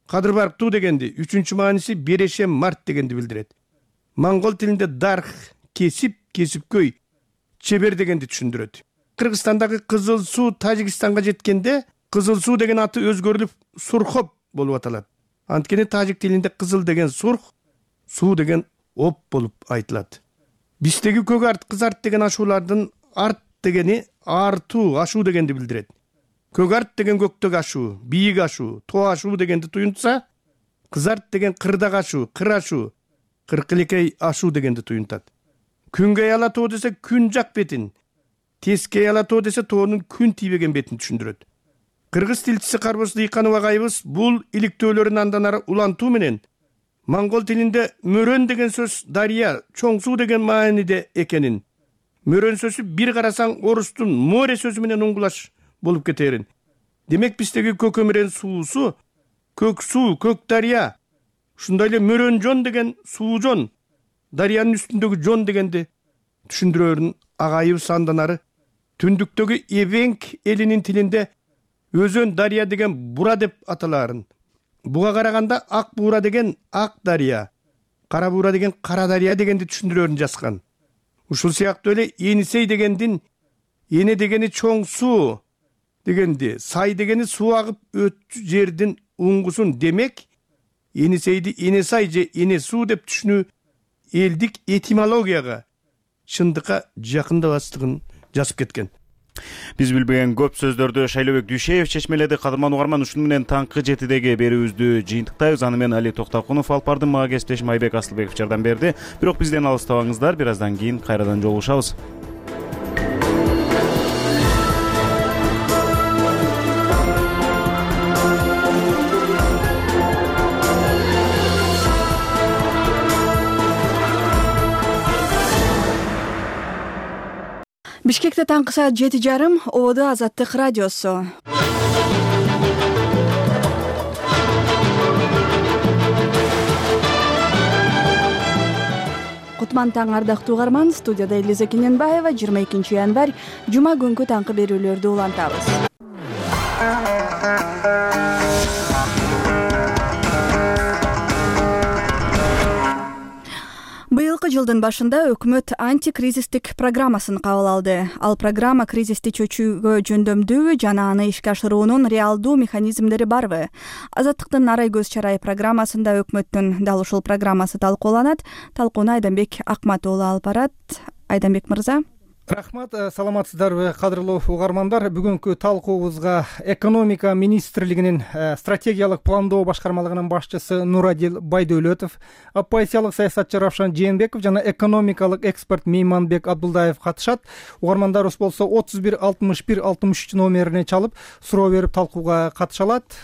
кадырбарктуу дегенди, үчүнчү мааниси берешем март дегенди билдирет. Моңгол тилинде дарх кесип, кесипкөй, чебер дегенди түшүндүрөт. Кыргызстандагы Кызыл суу Тажикстанга жеткенде, Кызыл суу деген аты өзгөрүлүп Сурхоп болуп аталат. Анткени тажик тилинде кызыл деген сурх, суу деген оп болуп айтылат. Биздеги көк арт, кыз арт деген ашуулардын арт дегени артуу, ашуу дегенди билдирет. Көк арт деген көктөк ашуу, бийик ашуу, тоо ашуу дегенди туюнтса, кыз арт деген кырдак ашуу, кыр ашуу, кыркылекей ашуу дегенди туюнтат. Күнгөй ала тоо десе күн жак бетин, тескей ала тоо десе тоонун күн тийбеген бетин түшүндүрөт. Кыргыз тилчиси Карбоз Дыйканов агайыбыз бул иликтөөлөрүн андан ары улантуу менен моңгол тилинде мөрөн деген сөз дария, чоң суу деген мааниде экенин, мөрөн сөзү бир карасаң орустун море сөзү менен уңгулаш болуп кетерин. Демек биздеги көкөмүрен суусу көк суу, көк дария, ушундай эле мөрөн жон деген суу жон, дарыянын үстүндөгү жон дегенди түшүндүрөрүн агайыбыз анданары түндүктөгү эбеңк элинин тилинде өзөн дарыя деген бура деп аталаарын, буга караганда ак буура деген ак дарыя, кара буура деген кара дарыя дегенди түшүндүрөрүн жазган. Ушул сыяктуу эле Енисей дегендин эне дегени чоң суу дегенди, сай дегени суу агып өтчү жердин уңгусун, демек Енисейди эне сай же эне суу деп түшүнүү элдик этимологияга чындыкка жакындабастыгын жазып кеткен. Биз билбеген көп сөздөрдү Шайлообек Дүйшеев чечмеледи. Кадырман угарман, ушуну менен таңкы жетидеги берүүбүздү жыйынтыктайбыз. Аны менен Али Токтокунов алып барды, мага кесиптешим Айбек Асылбеков жардам берди. Бирок бизден алыстабаңыздар, бир аздан кийин кайрадан жолугушабыз. Бишкекте таңкы саат жети жарым, ободо Азаттык радиосу. Кутман таң, ардактуу угарман, студияда Элиза Кененбаева. жыйырма экинчи январь жума күнкү таңкы берүүлөрдү улантабыз. Быйылкы жылдын башында өкмөт антикризистик программасын кабыл алды. Ал программа кризисти чечүүгө жөндөмдүүбү жана аны ишке ашыруунун реалдуу механизмдери барбы? Азаттыктын Арай көз чарай программасында өкмөттүн дал ушул программасы талкууланат. Талкууну Айданбек Акмат уулу алып барат. Айданбек мырза. Рахмат, саламатсыздарбы кадырлуу угармандар. Бүгүнкү талкуубузга экономика министрлигинин стратегиялык пландоо башкармалыгынын башчысы Нурадил Байдөлөтов, оппозициялык саясатчы Равшан Жээнбеков жана экономикалык эксперт Мейманбек Абдулдаев катышат. Угармандарыбыз болсо отуз бир алтымыш бир алтымыш үч номерине чалып суроо берип талкууга катыша алат.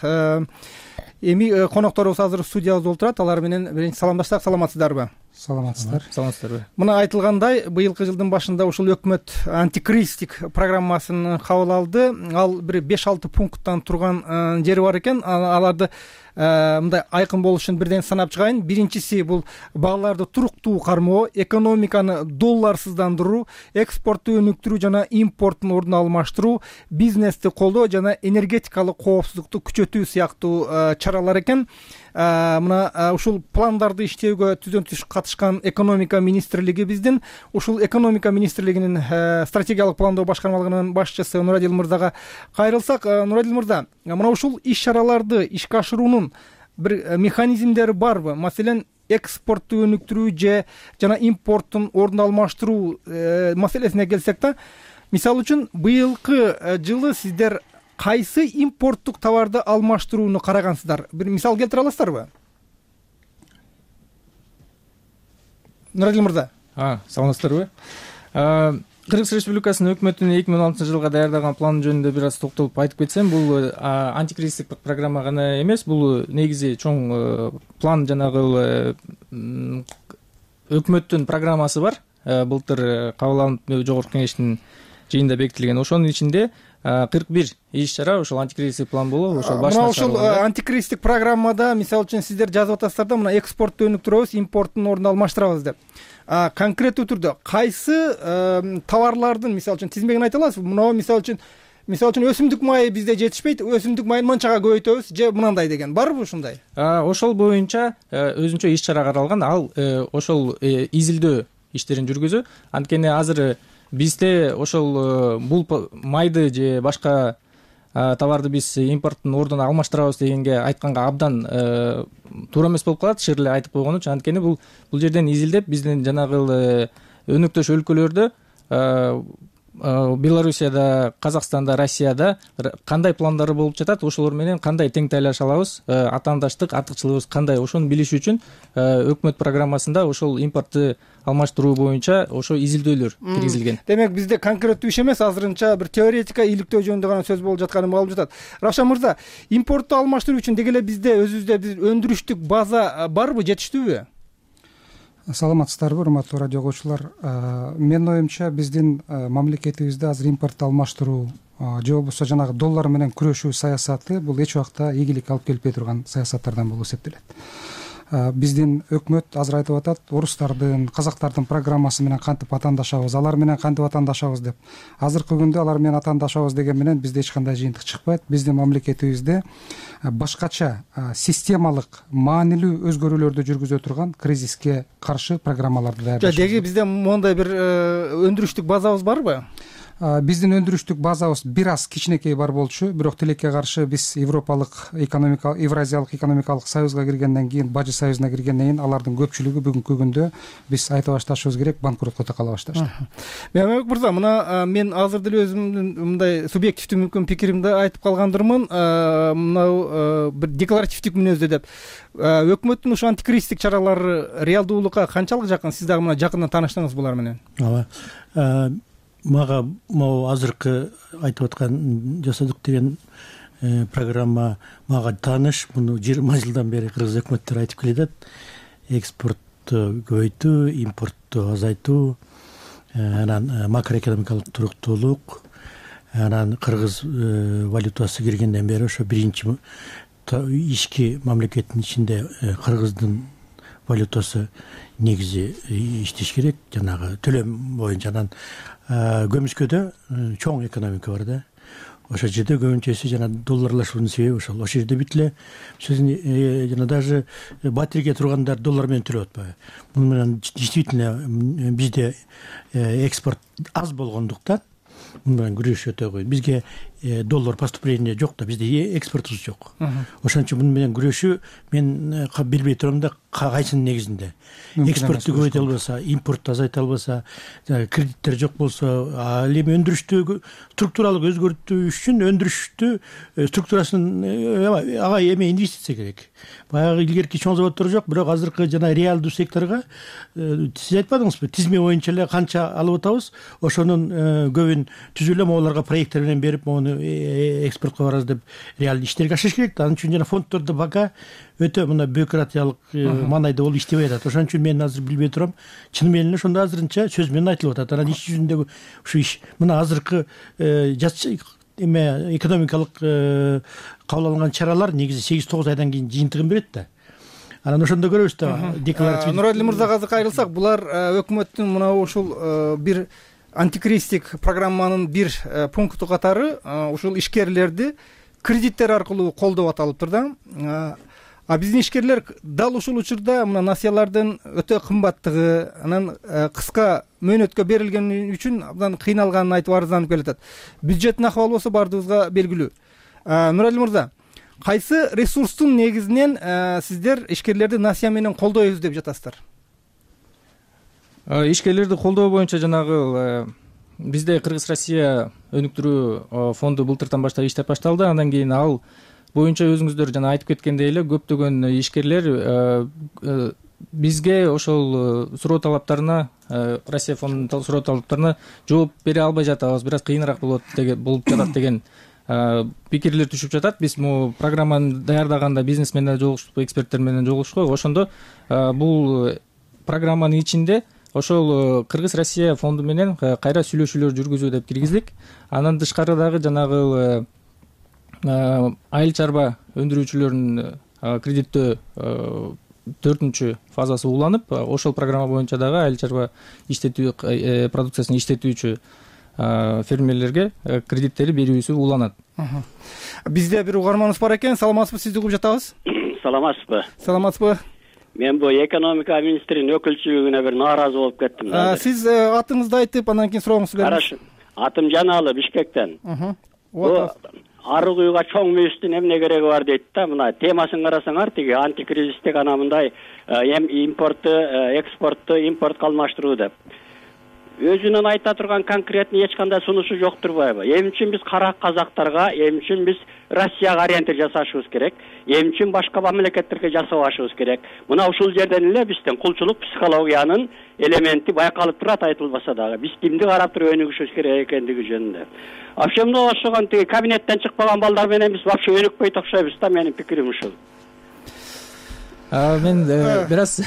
Эми конокторубуз азыр студиябызда отурат. Алар менен биринчи саламдашсак, саламатсыздарбы? Саламатсыздар. Саламатсыздарбы. Мына айтылгандай, быйылкы жылдын башында ушул өкмөт антикризистик программасын кабыл алды. Ал бир беш алты пункттан турган жери бар экен. Аларды мындай айкын болуш үчүн бирден санап чыгайын. Биринчиси бул багларды туруктуу кармоо, экономиканы долларсыздандыруу, экспортту өнүктүрүү жана импорттун ордун алмаштыруу, бизнести колдоо жана энергетикалык коопсуздукту күчөтүү сыяктуу чаралар экен. Мына ушул пландарды иштөөгө түздөн түз катышкан экономика министрлиги биздин, ушул экономика министрлигинин стратегиялык пландоо башкармалыгынын башчысы Нурадил мырзага кайрылсак, Нурадил мырза, мына ушул иш-чараларды ишке ашыруунун бир механизмдери барбы? Маселен, экспортту өнүктүрүү же жана импорттун ордун алмаштыруу маселесине келсек да, мисалы үчүн быйылкы жылы сиздер кайсы импорттук товарды алмаштырууну карагансыздар? Бир мисал келтире аласыздарбы? Нурадил мырза. А, саламатсыздарбы? Кыргыз Республикасынын өкмөтүнүн эки миң он алтынчы жылга даярдаган планы жөнүндө бир аз токтолуп айтып кетсем, бул антикризистик программа гана эмес, бул негизи чоң план, жанагы өкмөттүн программасы бар. Былтыр кабыл алынып жогорку кеңештин жыйынында бекитилген. Ошонун ичинде кырк бир иш-чара ошол антикризистик план болуп, ошол башына чыгарылган. Мына ушул антикризистик программада, мисалы үчүн, сиздер жазып атасыздар да, мына экспортту өнүктүрөбүз, импорттун ордун алмаштырабыз деп. Конкреттүү түрдө кайсы товарлардын, мисалы үчүн, тизмегин айта аласызбы? Мына мисалы үчүн, мисалы үчүн өсүмдүк майы бизде жетишпейт, өсүмдүк майын мынчага көбөйтөбүз же мынандай деген барбы ушундай? Ошол боюнча өзүнчө иш-чара каралган. Ал ошол изилдөө иштерин жүргүзүү. Анткени азыр бизде ошол бул майды же башка товарды биз импорттун ордуна алмаштырабыз дегенге айтканга абдан туура эмес болуп калат, шир эле айтып койгону үчүн. Анткени бул бул жерден изилдеп, биздин жанагы өнөктөш өлкөлөрдө, Белоруссияда, Казакстанда, Россияда кандай пландары болуп жатат, ошолор менен кандай тең тайлаша алабыз, атаандаштык, артыкчылыгыбыз кандай, ошону билиш үчүн өкмөт программасында ошол импортты алмаштыруу боюнча ошо изилдөөлөр киргизилген. Демек бизде конкреттүү иш эмес, азырынча бир теоретика иликтөө жөнүндө гана сөз болуп жатканы болуп жатат. Равшан мырза, импортту алмаштыруу үчүн деги эле бизде өзүбүздө бир өндүрүштүк база барбы, жетиштүүбү? Саламатсыздарбы, урматтуу радио угуучулар. Менин оюмча, биздин мамлекетибизде азыр импортту алмаштыруу же болбосо жанагы доллар менен күрөшүү саясаты бул эч убакта ийгилик алып келбей турган саясаттардан болуп эсептелет. биздин өкмөт азыр айтып атат, орустардын, казактардын программасы менен кантип атаандашабыз, алар менен кантип атаандашабыз деп. Азыркы күндө алар менен атаандашабыз деген менен бизде эч кандай жыйынтык чыкпайт. Биздин мамлекетибизде башкача системалык, маанилүү өзгөрүүлөрдү жүргүзө турган кризиске каршы программаларды даярдаш. Деги бизде моундай бир өндүрүштүк базабыз барбы? Биздин өндүрүштүк базабыз бир аз кичинекей бар болчу, бирок тилекке каршы биз Европалык экономика, Евразиялык экономикалык союзга киргенден кийин, Бажы союзуна киргенден кийин алардын көпчүлүгү бүгүнкү күндө биз айтып башташыбыз керек, банкротко такала башташты. Мемлекет мырза, мына мен азыр деле өзүмдүн мындай субъективдүү мүмкүн пикиримди айтып калгандырмын. Мынау бир декларативдик мүнөздө деп. Өкмөттүн ушу антикризистик чаралары реалдуулукка канчалык жакын? Сиз дагы мына жакындан тааныштыңыз булар менен. Ооба. Мага могу азыркы айтып аткан жасадык деген программа мага тааныш. Муну жыйырма жылдан бери кыргыз өкмөттөр айтып келатат. Экспортту көбөйтүү, импортту азайтуу, анан макроэкономикалык туруктуулук, анан кыргыз валютасы киргенден бери ошо биринчи ички мамлекеттин ичинде кыргыздын валютасы негизи иштеш керек, жанагы төлөм боюнча. Анан көмүскөдө чоң экономика бар да. Ошол жерде көбүнчөсү жана долларлашуунун себеби ошол. Ошол жерде бүт эле сөзүн жана даже батирге тургандар доллар менен төлөп атпайбы. Муну менен действительно бизде экспорт аз болгондуктан муну менен күрөш өтө кыйын. Бизге доллар поступление жок да, бизде экспортубуз жок. Ошон үчүн муну менен күрөшүү мен билбей турам да, кайсынын негизинде. Экспортту көбөйтө албаса, импортду азайта албаса, кредиттер жок болсо, ал эми өндүрүштү структуралык өзгөртүү үчүн өндүрүштү структурасын ага эме инвестиция керек. Баягы илгерки чоң заводдор жок, бирок азыркы жана реалдуу секторго сиз айтпадыңызбы, тизме боюнча эле канча алып атабыз, ошонун көбүн түзүп эле могуларга проекттер менен берип, мону экспортко барабыз деп реалдуу иштерге ашыш керек да. Анын үчүн жана фонддордо пока өтө мына бюрократиялык маанайда болуп иштебей атат. Ошон үчүн мен азыр билбей турам. Чын менен эле ошондо азырынча сөз менен айтылып атат. Анан иш жүзүндөгү ушу иш мына азыркы эме экономикалык кабыл алынган чаралар негизи сегиз тогуз айдан кийин жыйынтыгын берет да. Анан ошондо көрөбүз да. Декларатив Нуралиев мырзага азыр кайрылсак, булар өкмөттүн мына ушул бир антикризистик программанын бир пункту катары ушул ишкерлерди кредиттер аркылуу колдоп аталыптыр да. А биздин ишкерлер дал ушул учурда мына насыялардын өтө кымбаттыгы, анан кыска мөөнөткө берилгени үчүн абдан кыйналганын айтып арызданып келатат. Бюджеттин акыбалы болсо баардыгыбызга белгилүү. Нуралиев мырза, кайсы ресурстун негизинен сиздер ишкерлерди насыя менен колдойбуз деп жатасыздар? Ишкерлерди колдоо боюнча жанагы бизде Кыргыз Россия өнүктүрүү фонду былтыртан баштап иштеп башталды. Андан кийин ал боюнча өзүңүздөр жана айтып кеткендей эле көптөгөн ишкерлер бизге ошол суроо талаптарына, Россия фондунун суроо талаптарына жооп бере албай жатабыз, бир аз кыйыныраак болот болуп жатат деген пикирлер түшүп жатат. Биз могу программаны даярдаганда бизнес менен жолугуштук, эксперттер менен жолугуштук. Ошондо бул программанын ичинде ошол Кыргыз Россия фонду менен кайра сүйлөшүүлөр жүргүзүү деп киргиздик. Андан тышкары дагы жанагы айыл чарба өндүрүүчүлөрүнүн кредиттөө төртүнчү фазасы уланып, ошол программа боюнча дагы айыл чарба иштетүү продукциясын иштетүүчү фермерлерге кредиттери берүүсү уланат. Бизде бир угарманыбыз бар экен. Саламатсызбы, сизди угуп жатабыз. Саламатсызбы. Саламатсызбы. Мен бул экономика министринин өкүлчүлүгүнө бир нааразы болуп кеттим. Сиз атыңызды айтып, андан кийин сурооңузду бериңиз. Караш, атым Жаналы, Бишкектен. Арык үйгө чоң мүйүстүн эмне кереги бар дейт да. Мына темасын карасаңар, тиги антикризистик ана мындай импортту, экспортту, импортко алмаштыруу деп. Өзүнөн айта турган конкретный эч кандай сунушу жок турбайбы? Эмне үчүн биз кара казактарга, эмне үчүн биз Россияга ориентир жасашыбыз керек? Эмне үчүн башка мамлекеттерге жасабашыбыз керек? Мына ушул жерден эле биздин кулчулук психологиянын элементи байкалып турат, айтылбаса дагы. Биз кимди карап туруп өнүгүшүбүз керек экендиги жөнүндө. Вообще мына ошогон тиги кабинеттен чыкпаган балдар менен биз вообще өнүкпөйт окшойбуз да, менин пикирим ушул. мен бир аз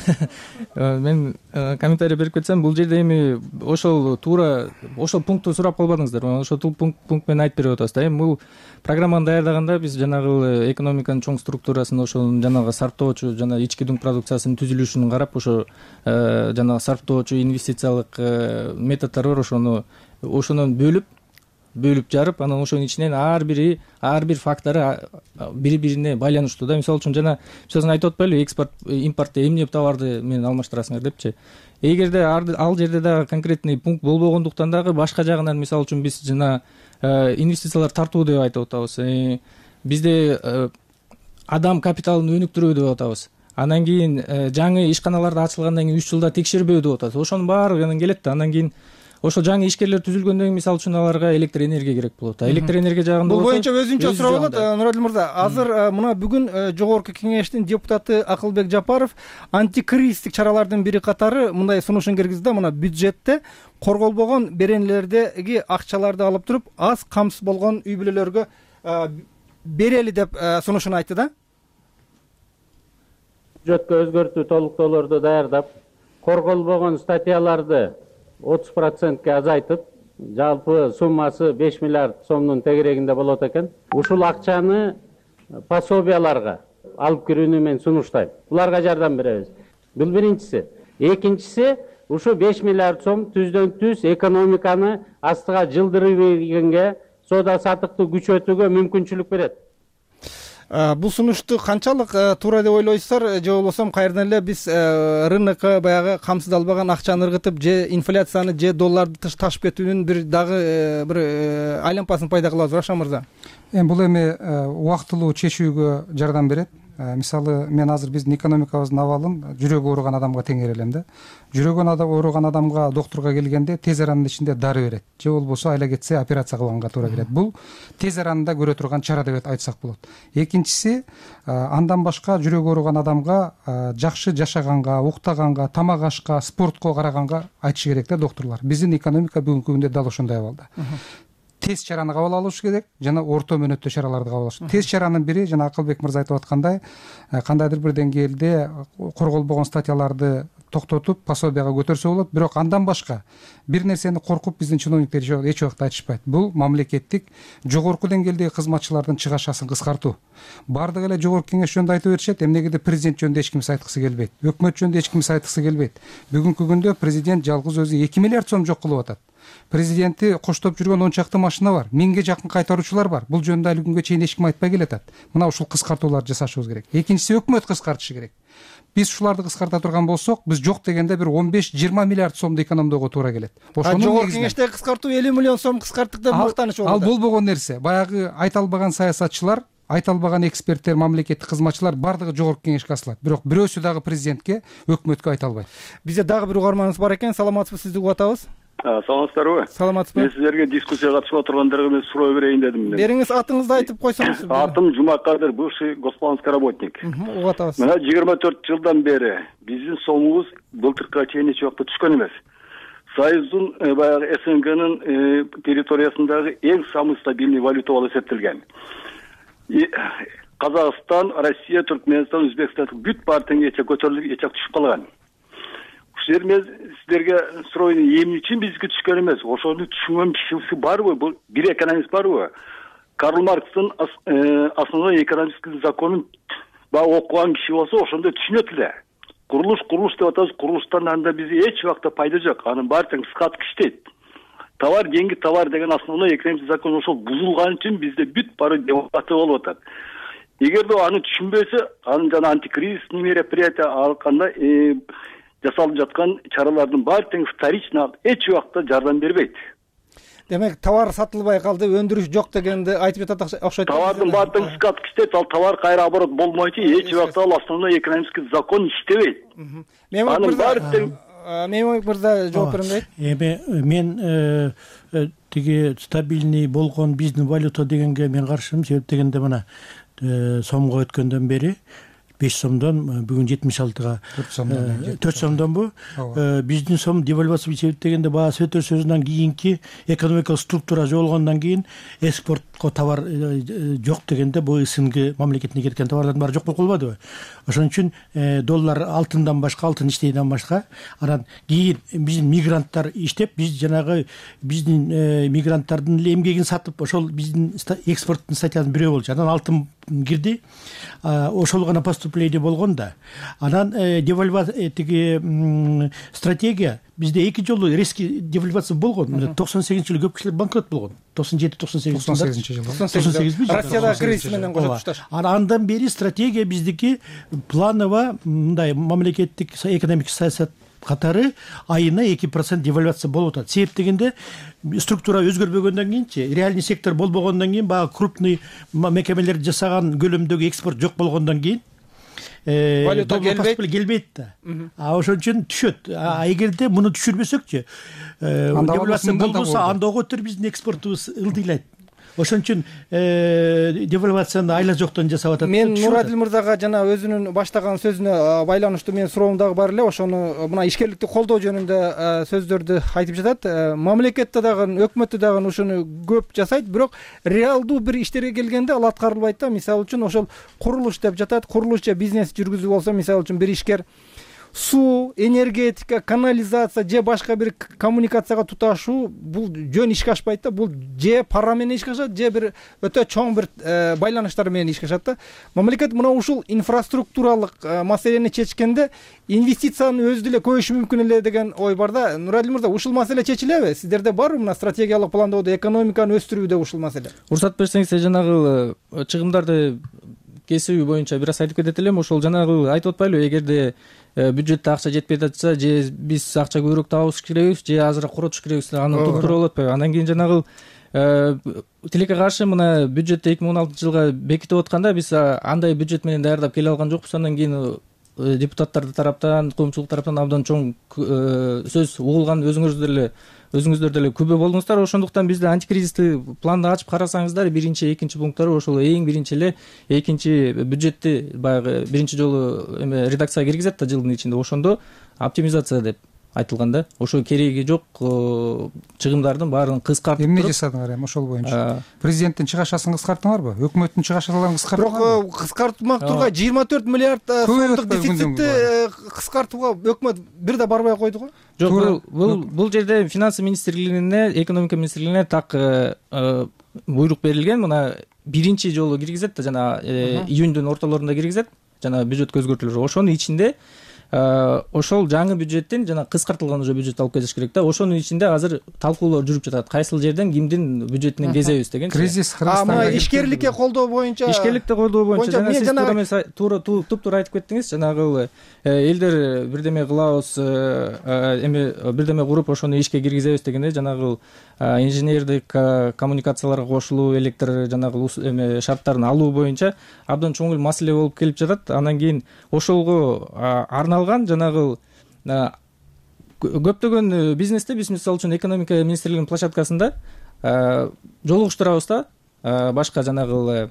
мен комментарий берип кетсем, бул жерде эми ошол туура ошол пунктту сурап калбадыңыздар. Ошол пункт менен айтып берип атабыз да. Эми бул программаны даярдаганда биз жанагы экономиканын чоң структурасын, ошол жанагы сарптоочу жана ички дүң продукциясынын түзүлүшүн карап, ошо жанагы сарптоочу инвестициялык методдор бар, ошону ошонун бөлүп бөлүп жарып, анан ошонун ичинен ар бири ар бир фактору бири бирине байланыштуу да. Мисалы үчүн жана сөзүн айтып атпайлыбы, экспорт импортто эмне товарды менен алмаштырасыңар депчи. Эгерде ал жерде дагы конкретный пункт болбогондуктан дагы башка жагынан, мисалы үчүн биз жана инвестициялар тартуу деп айтып атабыз. Бизде адам капиталын өнүктүрүү деп атабыз. Анан кийин жаңы ишканаларды ачылгандан кийин үч жылда текшербөө деп атабыз. Ошонун баары келет да. Анан кийин ошол жаңы ишкерлер түзүлгөндөн кийин, мисалы үчүн аларга электр энергия керек болот. Электр энергия жагында бул боюнча өзүнчө суроо болот. Нуралдин мырза, азыр мына бүгүн жогорку кеңештин депутаты Акылбек Жапаров антикризистик чаралардын бири катары мындай сунушун киргизди да. Мына бюджетте корголбогон беренелердеги акчаларды алып туруп, аз камсыз болгон үй бүлөлөргө берели деп сунушун айтты да. Бюджетке өзгөртүү толуктоолорду даярдап, корголбогон статьяларды отуз процентке азайтып, жалпы суммасы беш миллиард сомдун тегерегинде болот экен. Ушул акчаны пособияларга алып кирүүнү мен сунуштайм. Буларга жардам беребиз. Бул биринчиси. Экинчиси, ушу беш миллиард сом түздөн түз экономиканы астыга жылдырып бергенге, соода саттыкты күчөтүүгө мүмкүнчүлүк берет. Бул сунушту канчалык туура деп ойлойсуздар, же болбосо кайрадан эле биз рынокко баягы камсыздалбаган акчаны ыргытып, же инфляцияны, же долларды ташып кетүүнүн бир дагы бир айлампасын пайда кылабызбы, Рашан мырза? Эми бул эми убактылуу чечүүгө жардам берет. Мисалы, мен азыр биздин экономикабыздын абалын жүрөгү ооруган адамга теңер да. Жүрөгү ооруган адамга доктурга келгенде тез аранын ичинде дары берет, же болбосо айла кетсе операция кылганга туура келет. Бул тез аранда көрө турган чара деп айтсак болот. Экинчиси, андан башка жүрөгү ооруган адамга жакшы жашаганга, уктаганга, тамак ашка, спортко караганга айтышы керек да доктурлар. Биздин экономика бүгүнкү күндө дал ошондой абалда. Тез чараны кабыл алыш керек жана орто мөөнөттө чараларды кабыл алыш. Тез чаранын бири жана Акылбек мырза айтып аткандай, кандайдыр бир деңгээлде корголбогон статьяларды токтотуп, пособияга көтөрсө болот. Бирок андан башка бир нерсени коркуп биздин чиновниктер эч убакта айтышпайт. Бул мамлекеттик жогорку деңгээлдеги кызматчылардын чыгашасын кыскартуу. Бардык эле жогорку кеңеш жөнүндө айтып беришет, эмнегеде президент жөнүндө эч кимсе айткысы келбейт, өкмөт жөнүндө эч кимсе айткысы келбейт. Бүгүнкү күндө президент жалгыз өзү эки миллиард сом жок кылып атат. Президенти коштоп жүргөн он чакты машина бар, миңге жакын кайтаруучулар бар. Бул жөнүндө али күнгө чейин эч ким айтпай келатат. Мына ушул кыскартууларды жасашыбыз керек. Экинчиси, өкмөт кыскартышы керек. Биз ушуларды кыскарта турган болсок, биз жок дегенде бир он беш жыйырма миллиард сомду экономдоого туура келет. Ошону жогорку кеңештеги кыскартуу элүү миллион сом кыскарттык деп мактаныш болду. Ал болбогон нерсе. Баягы айта албаган саясатчылар, айта албаган эксперттер, мамлекеттик кызматчылар бардыгы жогорку кеңешке асылат. Бирок бирөөсү дагы президентке, өкмөткө айта албайт. Бизде дагы бир угарманыбыз бар экен. Саламатсызбы, сизди угуп атабыз. Саламатсыздарбы? Саламатсызбы. Мен силерге дискуссияга катышып отургандарга мен суроо берейин дедим. Бериңиз, атыңызды айтып койсоңуз. Атым Жумакадыр, бывший госпланский работник. Угуп атабыз. Мына жыйырма төрт жылдан бери биздин сомубуз былтыркыга чейин эч убакта түшкөн эмес. Союздун баягы СНГнын территориясындагы эң самый стабильный валюта болуп эсептелген. Казакстан, Россия, Түркмөнстан, Өзбекстан бүт баары тең эче көтөрүлүп, эче түшүп калган. Ушул мен силерге суройн, эмне үчүн бизге түшкөн эмес? Ошону түшүнгөн кишиси барбы? Бул бир экономист барбы? Карл Маркстын основной экономический законун баягы окуган киши болсо, ошондо түшүнөт эле. Курулуш, курулуш деп атабыз, курулуштан анда бизге эч убакта пайда жок. Анын баары тең скат иштейт. Товар, деньги, товар деген основной экономический закон ошол бузулган үчүн бизде бүт баары девалвация болуп атат. Эгерде аны түшүнбөсө, анын жана антикризисный мероприятия алганда жасалып жаткан чаралардын баары тең вторично эч убакта жардам бербейт. Демек, товар сатылбай калды, өндүрүш жок дегенди айтып жатат окшойт. Товардын баары тең скат иштейт, ал товар кайра оборот болмойчу, эч убакта ал основной экономический закон иштебейт. Анын баары тең Мемлекет мырза жооп берем дейт. Эми мен тиги стабильный болгон биздин валюта дегенге мен каршымын. Себеп дегенде мына сомго өткөндөн бери беш сомдон бүгүн жетимиш алтыга төрт сомдонбу? Биздин сом девальвация себеп дегенде баа сөтөр сөзүнөн кийинки экономикалык структура жолгондон кийин экспорт башка товар жок дегенде бул СНГ мамлекетине кеткен товарлардын баары жок болуп калбадыбы. Ошон үчүн доллар алтындан башка, алтын иштейден башка анан кийин биздин мигранттар иштеп, биз жанагы биздин мигранттардын эмгегин сатып, ошол биздин экспорттун статьясынын бирөө болчу. Анан алтын кирди, ошол гана поступление болгон да. Анан девальвация тиги стратегия бизде эки жолу резкий девальвация болгон. токсон сегизинчи жылы көп кишилер банкрот болгон. токсон жети токсон сегизинчи жылы. токсон сегизинчи жылы. Россияда кризис менен кошо тушташ. Андан бери стратегия биздики планово мындай мамлекеттик экономикалык саясат катары айына эки процент девальвация болуп атат. Себеп дегенде структура өзгөрбөгөндөн кийинчи, реальный сектор болбогондон кийин, баягы крупный мекемелерди жасаган көлөмдөгү экспорт жок болгондон кийин валюта келбейт да. А ошон үчүн түшөт. А эгерде муну түшүрбөсөкчү, девальвация болбосо анда оготур биздин экспортубуз ылдыйлайт. Ошон үчүн девальвацияны айла жоктон жасап атат. Мен Нурадил мырзага жана өзүнүн баштаган сөзүнө байланыштуу менин суроом дагы бар эле. Ошону мына ишкерликти колдоо жөнүндө сөздөрдү айтып жатат. Мамлекетте дагы, өкмөттө дагы ушуну көп жасайт, бирок реалдуу бир иштерге келгенде ал аткарылбайт да. Мисалы үчүн ошол курулуш деп жатат. Курулуш же бизнес жүргүзүү болсо, мисалы үчүн бир ишкер суу, энергетика, канализация же башка бир коммуникацияга туташуу бул жөн ишке ашпайт да. Бул же пара менен ишке ашат, же бир өтө чоң бир байланыштар менен ишке ашат да. Мамлекет мына ушул инфраструктуралык маселени чечкенде инвестицияны өзү деле көбөйүшү мүмкүн эле деген ой бар да. Нуралил мырза, ушул маселе чечилеби? Сиздерде барбы мына стратегиялык пландоодо экономиканы өстүрүүдө ушул маселе? Уруксат берсеңиз, жанагы чыгымдарды кесүү боюнча бир аз айтып кетет элем. Ошол жанагы айтып атпайлыбы, эгерде бюджетте акча жетпей жатса, же биз акча көбүрөөк табыш керекпиз, же азыраак коротуш керекпиз, аны туруктуруп болуп атпайбы? Андан кийин жанагы тилекке каршы мына бюджетти эки миң он алтынчы жылга бекитип атканда биз андай бюджет менен даярдап келе алган жокпуз. Андан кийин депутаттар тараптан, коомчулук тараптан абдан чоң сөз угулган, өзүңүздөр деле өзүңүздөр деле күбө болдуңуздар. Ошондуктан бизде антикризистик планды ачып карасаңыздар, биринчи, экинчи пункттары ошол эң биринчи эле экинчи бюджетти баягы биринчи жолу эме редакцияга киргизет да жылдын ичинде. Ошондо оптимизация деп айтылган да. Ошо кереги жок чыгымдардын баарын кыскартып эмне жасадыңар эми ошол боюнча? Президенттин чыгашасын кыскарттыңарбы? Өкмөттүн чыгашаларын кыскарттыңарбы? Бирок кыскартмак тургай жыйырма төрт миллиард сомдук дефицитти кыскартууга өкмөт бир да барбай койду го. Жок, бул бул жерде финансы министрлигине, экономика министрлигине так буйрук берилген. Мына биринчи жолу киргизет да, жана июньдун ортолорунда киргизет жана бюджетке өзгөртүүлөр. Ошонун ичинде ошол жаңы бюджеттин жана кыскартылган уже бюджет алып кетиш керек да. Ошонун ичинде азыр талкуулар жүрүп жатат. Кайсыл жерден кимдин бюджетинен кезебиз деген. Кризис Кыргызстанда ишкерликке колдоо боюнча ишкерликте колдоо боюнча жана сиз туура туп-туура айтып кеттиңиз. Жанагы элдер бирдеме кылабыз, эми бирдеме куруп ошону ишке киргизебиз дегенде жанагы инженердик коммуникацияларга кошулуу, электр жанагы эме шарттарын алуу боюнча абдан чоң эле маселе болуп келип жатат. Андан кийин ошолго арналган жанагы көптөгөн бизнесте биз мисалы үчүн экономика министрлигинин площадкасында жолугуштурабыз да башка жанагы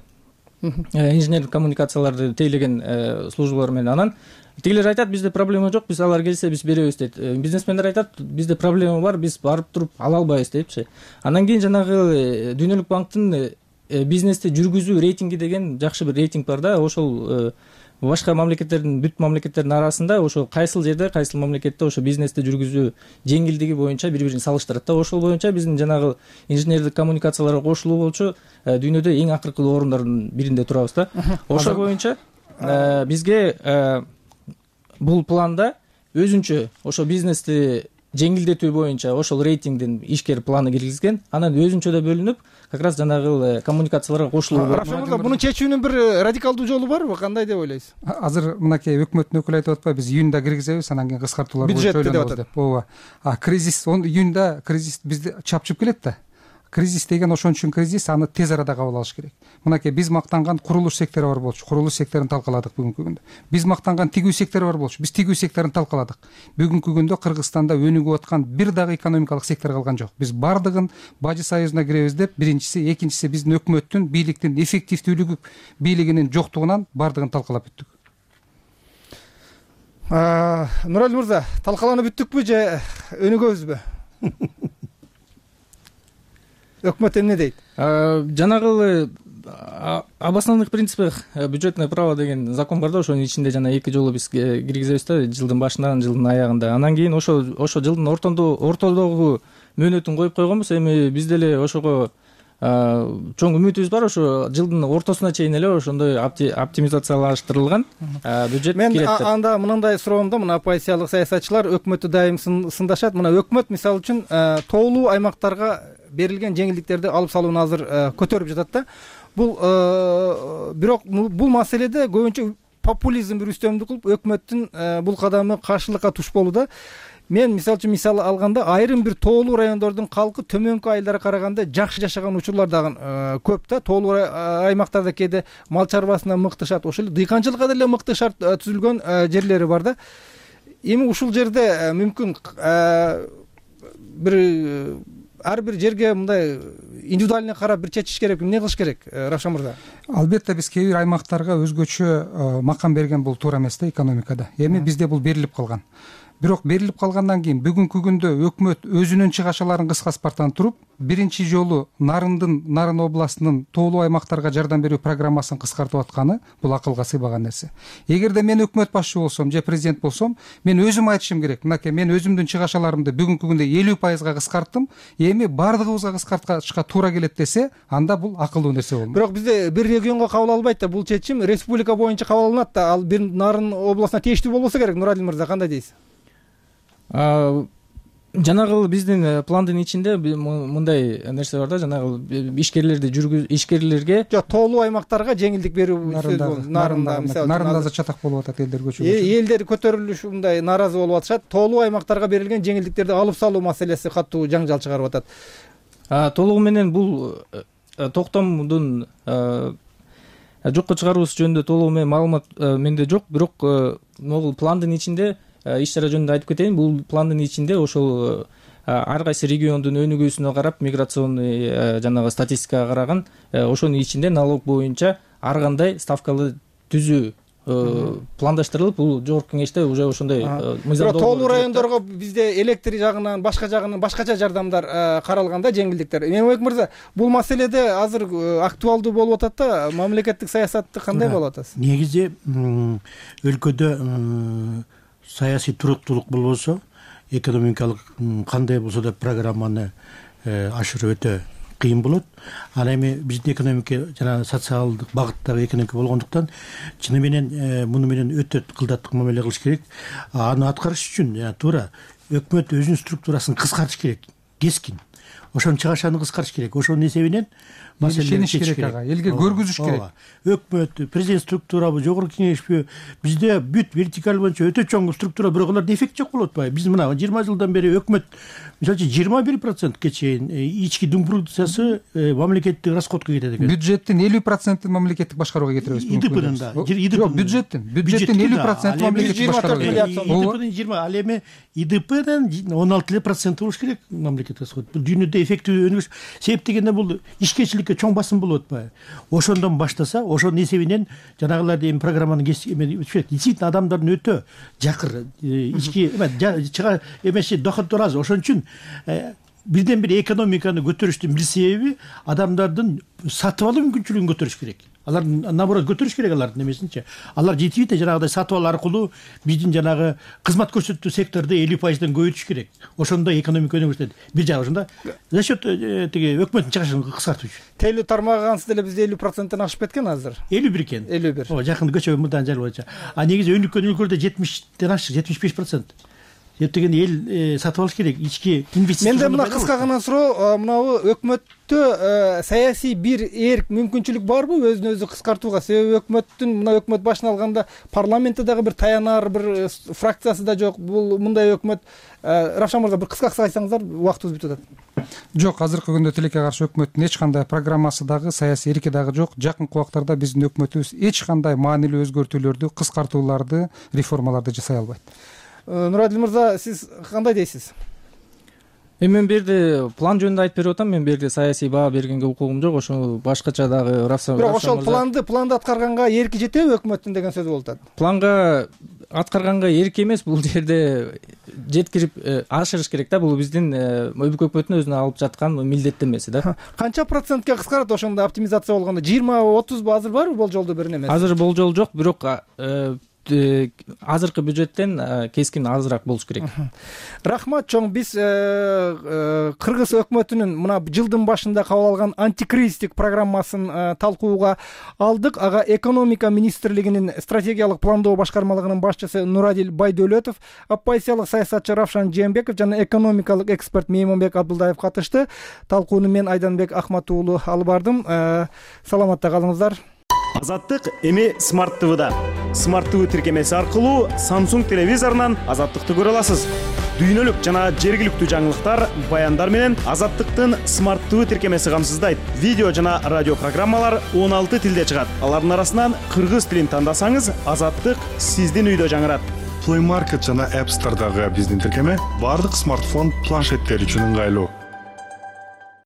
инженерлик коммуникацияларды тейлеген службалар менен. Анан тигилер айтат, бизде проблема жок, биз алар келсе биз беребиз дейт. Бизнесмендер айтат, бизде проблема бар, биз барып туруп ала албайбыз депчи. Андан кийин жанагы Дүйнөлүк банктын бизнести жүргүзүү рейтинги деген жакшы бир рейтинг бар да. Ошол башка мамлекеттердин, бүт мамлекеттердин арасында ошо кайсыл жерде, кайсыл мамлекетте ошо бизнести жүргүзүү жеңилдиги боюнча бири-бирин салыштырат да. Ошол боюнча биздин жанагы инженердик коммуникацияларга кошулуу болчу дүйнөдө эң акыркы орундардын биринде турабыз да. Ошол боюнча бизге бул планда өзүнчө ошо бизнести жеңилдетүү боюнча ошол рейтингдин ишкер планы киргизген. Анан өзүнчө да бөлүнүп, как раз жанагы коммуникацияларга кошулуу бар. Рафим мырза, муну чечүүнүн бир радикалдуу жолу барбы? Кандай деп ойлойсуз? Азыр мынакей өкмөттүн өкүлү айтып атпайбы, биз июнда киргизебиз, анан кийин кыскартуулар боюнча ойлонобуз деп. Ооба. А кризис июнда кризис бизди чапчып келет да. Кризис деген ошон үчүн кризис, аны тез арада кабыл алыш керек. Мынакей биз мактанган курулуш сектору бар болчу. Курулуш секторун талкаладык бүгүнкү күндө. Биз мактанган тигүү сектору бар болчу. Биз тигүү секторун талкаладык. Бүгүнкү күндө Кыргызстанда өнүгүп аткан бир дагы экономикалык сектор калган жок. Биз бардыгын Бажы союзуна киребиз деп, биринчиси, экинчиси биздин өкмөттүн, бийликтин эффективдүүлүгү, бийлигинин жоктугунан бардыгын талкалап бүттүк. Нуралил мырза, талкаланып бүттүкпү же өнүгөбүзбү? өкмөт эмне дейт? Жанагы обоснованных принципах бюджетное право деген закон бар да, ошонун ичинде жана эки жолу биз киргизебиз да, жылдын башында, жылдын аягында. Анан кийин ошо ошо жылдын ортодогу мөөнөтүн коюп койгонбуз. Эми биз деле ошого чоң үмүтүбүз бар. Ошо жылдын ортосуна чейин эле ошондой оптимизациялаштырылган бюджет келет. Мен анда мындай суроом да, мына оппозициялык саясатчылар өкмөттү дайым сындашат. Мына өкмөт мисалы үчүн тоолуу аймактарга берилген жеңилдиктерди алып салууну азыр көтөрүп жатат да. Бул бирок бул маселеде көбүнчө популизм бир үстөмдүк кылып, өкмөттүн бул кадамы каршылыкка туш болууда. Мен мисалы үчүн мисал алганда, айрым бир тоолуу райондордун калкы төмөнкү айылдарга караганда жакшы жашаган учурлар дагы көп да. Тоолуу аймактарда кээде мал чарбасына мыкты шарт, ошол эле дыйканчылыкка деле мыкты шарт түзүлгөн жерлери бар да. Эми ушул жерде мүмкүн бир ар бир жерге мындай индивидуально карап бир чечиш керек. Эмне кылыш керек, Равшан мырза? Албетте биз кээ бир аймактарга өзгөчө макам берген бул туура эмес да экономикада. Эми бизде бул берилип калган. Бирок берилип калгандан кийин бүгүнкү күндө өкмөт өзүнүн чыгашаларын кыскартпастан туруп, биринчи жолу Нарындын, Нарын областынын тоолуу аймактарга жардам берүү программасын кыскартып атканы бул акылга сыйбаган нерсе. Эгерде мен өкмөт башчы болсом же президент болсом, мен өзүм айтышым керек. Мынакей, мен өзүмдүн чыгашаларымды бүгүнкү күндө элүү пайызга кыскарттым. Эми бардыгыбызга кыскартышка туура келет десе, анда бул акылдуу нерсе болмок. Бирок бизде бир регионго кабыл албайт да, бул чечим республика боюнча кабыл алынат да. Ал бир Нарын областына тийиштүү болбосо керек. Нуралин мырза, кандай дейсиз? Жанагы биздин пландын ичинде мындай нерсе бар да, жанагы ишкерлерди жүргүз ишкерлерге жок, тоолуу аймактарга жеңилдик берүү. Нарында мисалы Нарында да чатак болуп атат, элдер көчүп. Элдер көтөрүлүш мындай нааразы болуп атышат. Тоолуу аймактарга берилген жеңилдиктерди алып салуу маселеси катуу жаңжал чыгарып атат. Толугу менен бул токтомдун жокко чыгаруусу жөнүндө толугу менен маалымат менде жок, бирок могул пландын ичинде иш чара жөнүндө айтып кетейин. Бул пландын ичинде ошол ар кайсы региондун өнүгүүсүнө карап, миграционный жанагы статистикага караган, ошонун ичинде налог боюнча ар кандай ставкалы түзүү пландаштырылып, бул жогорку кеңеште уже ошондой мыйзам. Тоолуу райондорго бизде электр жагынан, башка жагынан башкача жардамдар каралган да, жеңилдиктер. Мемлекет мырза, бул маселеде азыр актуалдуу болуп атат да, мамлекеттик саясатты кандай болуп атасыз? Негизи өлкөдө саясий туруктуулук болбосо, экономикалык кандай болсо да программаны ашыруу өтө кыйын болот. Ал эми биздин экономика жана социалдык багыттагы экономика болгондуктан чыны менен муну менен өтө кылдаттык мамиле кылыш керек. Аны аткарыш үчүн туура өкмөт өзүнүн структурасын кыскартыш керек, кескин. Ошонун чыгашаны кыскартыш керек. Ошонун эсебинен маселени чечиш керек, ага, элге көргүзүш керек. Өкмөт, президент структурабы, жогорку кеңешпи, бизде бүт вертикаль боюнча өтө чоң структура, бирок аларда эффект жок болуп атпайбы? Биз мына жыйырма жылдан бери өкмөт мисалы үчүн жыйырма бир процентке чейин ички дум продукциясы мамлекеттик расходко кетет экен. Бюджеттин элүү процентин мамлекеттик башкарууга кетиребиз. ИДПнын да. Жок, бюджеттин, бюджеттин элүү процентин мамлекеттик башкарууга. ИДПнын жыйырма, ал эми ИДПнын он алты процент болуш керек мамлекеттик расход. Бул дүйнөдө эффектүү өнүгүш. Себеп дегенде бул ишкерчиликке чоң басым болуп атпайбы? Ошондон баштаса, ошонун эсебинен жанагыларды эми программаны действительно адамдардын өтө жакыр ички чыга эмеси доходдор аз. Ошон үчүн бирден бир экономиканы көтөрүштүн бир себеби адамдардын сатып алуу мүмкүнчүлүгүн көтөрүш керек. Алар наоборот көтөрүш керек алардын эмесинчи. Алар жетибейт, жанагыдай сатып алуу аркылуу биздин жанагы кызмат көрсөтүү секторду элүү пайыздан көбөйтүш керек. Ошондо экономика өнүгүшөт. Бир жагы ошондо за счет тиги өкмөттүн чыгышын кыскартуу үчүн. Тейлүү тармагы ансыз деле бизде элүү проценттен ашып кеткен азыр. элүү бир экен. элүү бир. Ооба, жакында көчө мындан жыл боюнча. А негизи өнүккөн өлкөлөрдө жетимиштен ашык, жетимиш беш процент. Деп деген эл сатып алыш керек, ички инвестиция. Менде мына кыска гана суроо, мынабу өкмөттө саясий бир эрк мүмкүнчүлүк барбы өзүн өзү кыскартууга? Себеби өкмөттүн мына өкмөт башын алганда парламентте дагы бир таянар бир фракциясы да жок. Бул мындай өкмөт. Равшан мырза, бир кыска-кыска айтсаңыздар, убактыбыз бүтүп атат. Жок, азыркы күндө тилекке каршы өкмөттүн эч кандай программасы дагы, саясий эрки дагы жок. Жакынкы убактарда биздин өкмөтүбүз эч кандай маанилүү өзгөртүүлөрдү, кыскартууларды, реформаларды жасай албайт. Нурадил мырза, сиз кандай дейсиз? Эми мен берде план жөнүндө айтып берип атам. Мен берде саясий баа бергенге укугум жок. Ошо башкача дагы Равшан. Бирок ошол планды планды аткарганга эрки жетеби өкмөттүн деген сөз болуп атат. Планга аткарганга эрк эмес, бул жерде жеткирип ашырыш керек да. Бул биздин өлкө өкмөтүнүн өзүнө алып жаткан милдеттенмеси да. Канча процентке кыскарат ошондо оптимизация болгондо? жыйырма отузбу азыр барбы болжолдо бир неме? Азыр болжол жок, бирок азыркы бюджеттен кескин азыраак болуш керек. Рахмат чоң. Биз кыргыз өкмөтүнүн мына жылдын башында кабыл алган антикризистик программасын талкууга алдык. Ага экономика министрлигинин стратегиялык пландоо башкармалыгынын башчысы Нурадил Байдөлөтов, оппозициялык саясатчы Равшан Жээнбеков жана экономикалык эксперт Меймонбек Абдулдаев катышты. Талкууну мен Айданбек Ахмат уулу алып бардым. Саламатта калыңыздар. Азаттык эми Smart ти ви-да. Smart ти ви тиркемеси аркылуу Samsung телевизорунан Азаттыкты көрө аласыз. Дүйнөлүк жана жергиликтүү жаңылыктар, баяндар менен Азаттыктын Smart ти ви тиркемеси камсыздайт. Видео жана радио программалар он алты тилде чыгат. Алардын арасынан кыргыз тилин тандасаңыз, Азаттык сиздин үйдө жаңырат. Play Market жана App Store'дагы биздин тиркеме бардык смартфон, планшеттер үчүн ыңгайлуу.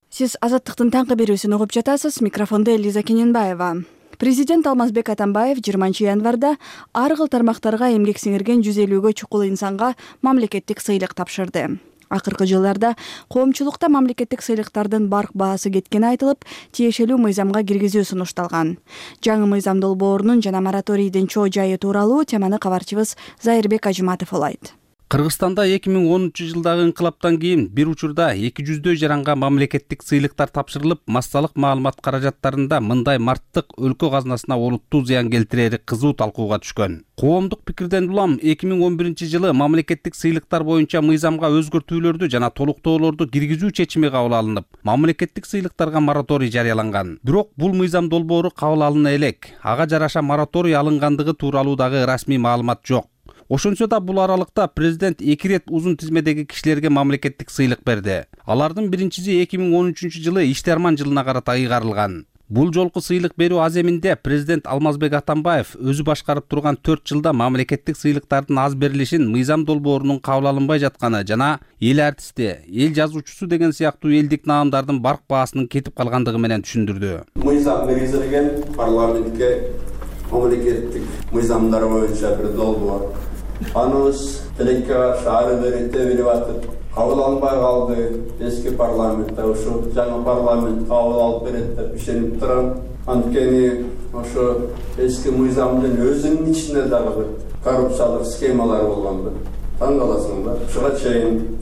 Сиз Азаттыктын таңкы берүүсүн угуп жатасыз. Микрофондо Элиза Кененбаева. Президент Алмазбек Атамбаев жыйырманчы январда ар кыл тармактарга эмгек сиңирген жүз элүүгө чукул инсанга мамлекеттик сыйлык тапшырды. Акыркы жылдарда коомчулукта мамлекеттик сыйлыктардын барк баасы кеткени айтылып, тиешелүү мыйзамга киргизүү сунушталган. Жаңы мыйзам долбоорунун жана мораторийдин чоо жайы тууралуу теманы кабарчыбыз Зайырбек Ажыматов улайт. Кыргызстанда эки миң онунчу жылдагы инкылаптан кийин бир учурда эки жүздөй жаранга мамлекеттик сыйлыктар тапшырылып, массалык маалымат каражаттарында мындай марттык өлкө казынасына олуттуу зыян келтирери кызуу талкууга түшкөн. Коомдук пикирден улам эки миң он биринчи жылы мамлекеттик сыйлыктар боюнча мыйзамга өзгөртүүлөрдү жана толуктоолорду киргизүү чечими кабыл алынып, мамлекеттик сыйлыктарга мораторий жарыяланган. Бирок бул мыйзам долбоору кабыл алына элек. Ага жараша мораторий алынгандыгы тууралуу дагы расмий маалымат жок. Ошончо да бул аралыкта президент эки рет узун тизмедеги кишилерге мамлекеттик сыйлык берди. Алардын биринчиси эки миң он үчүнчү жылы Иштерман жылына карата ыйгарылган. Бул жолку сыйлык берүү аземинде президент Алмазбек Атамбаев өзү башкарып турган төрт жылда мамлекеттик сыйлыктардын аз берилишин мыйзам долбоорунун кабыл алынбай жатканы жана эл артисти, эл жазуучусу деген сыяктуу элдик наамдардын барк баасынын кетип калгандыгы менен түшүндүрдү. Мыйзам киргизилген парламентке мамлекеттик мыйзамдар боюнча бир долбоор. Аныбыз тилекке каршы ары бери тебилип атып, кабыл алынбай калды. Эски парламентте ошо жаңы парламент кабыл алып берет деп ишенип турам. Анткени ошо эски мыйзамдын өзүнүн ичинде дагы бир коррупциялык схемалар болгонду. Таң каласыңдар. Ушуга чейин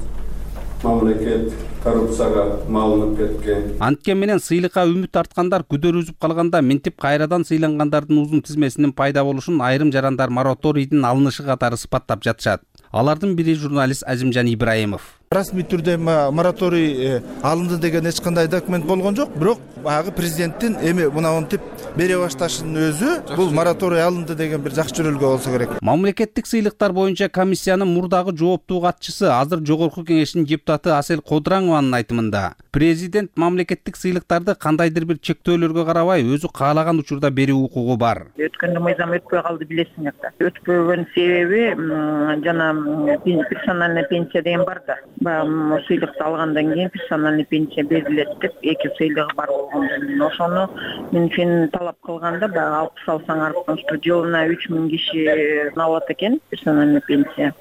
мамлекет коррупцияга малынып кеткен. Анткен менен сыйлыкка үмүт арткандар күдөр үзүп калганда минтип кайрадан сыйлангандардын узун тизмесинин пайда болушун айрым жарандар мораторийдин алынышы катары сыпаттап жатышат. Алардын бири журналист Азимжан Ибраимов. Расмий түрдө мораторий алынды деген эч кандай документ болгон жок, бирок баягы президенттин эми мынантип бере башташынын өзү бул мораторий алынды деген бир жакшы жөрөлгө болсо керек. Мамлекеттик сыйлыктар боюнча комиссиянын мурдагы жооптуу катчысы, азыр жогорку кеңештин депутаты Асел Кодыраңованын айтымында, президент мамлекеттик сыйлыктарды кандайдыр бир чектөөлөргө карабай өзү каалаган учурда берүү укугу бар. Өткөндө мыйзам өтпөй калды, билесиңер да. Өтпөгөн себеби жана персональный пенсия деген бар да. Баягы сыйлыкты алгандан кийин персональный пенсия берилет деп эки сыйлыгы бар болгондон ошону мен талап кылганда баягы алпыс алсаңар, что жылына үч миң киши алат экен персональный пенсия.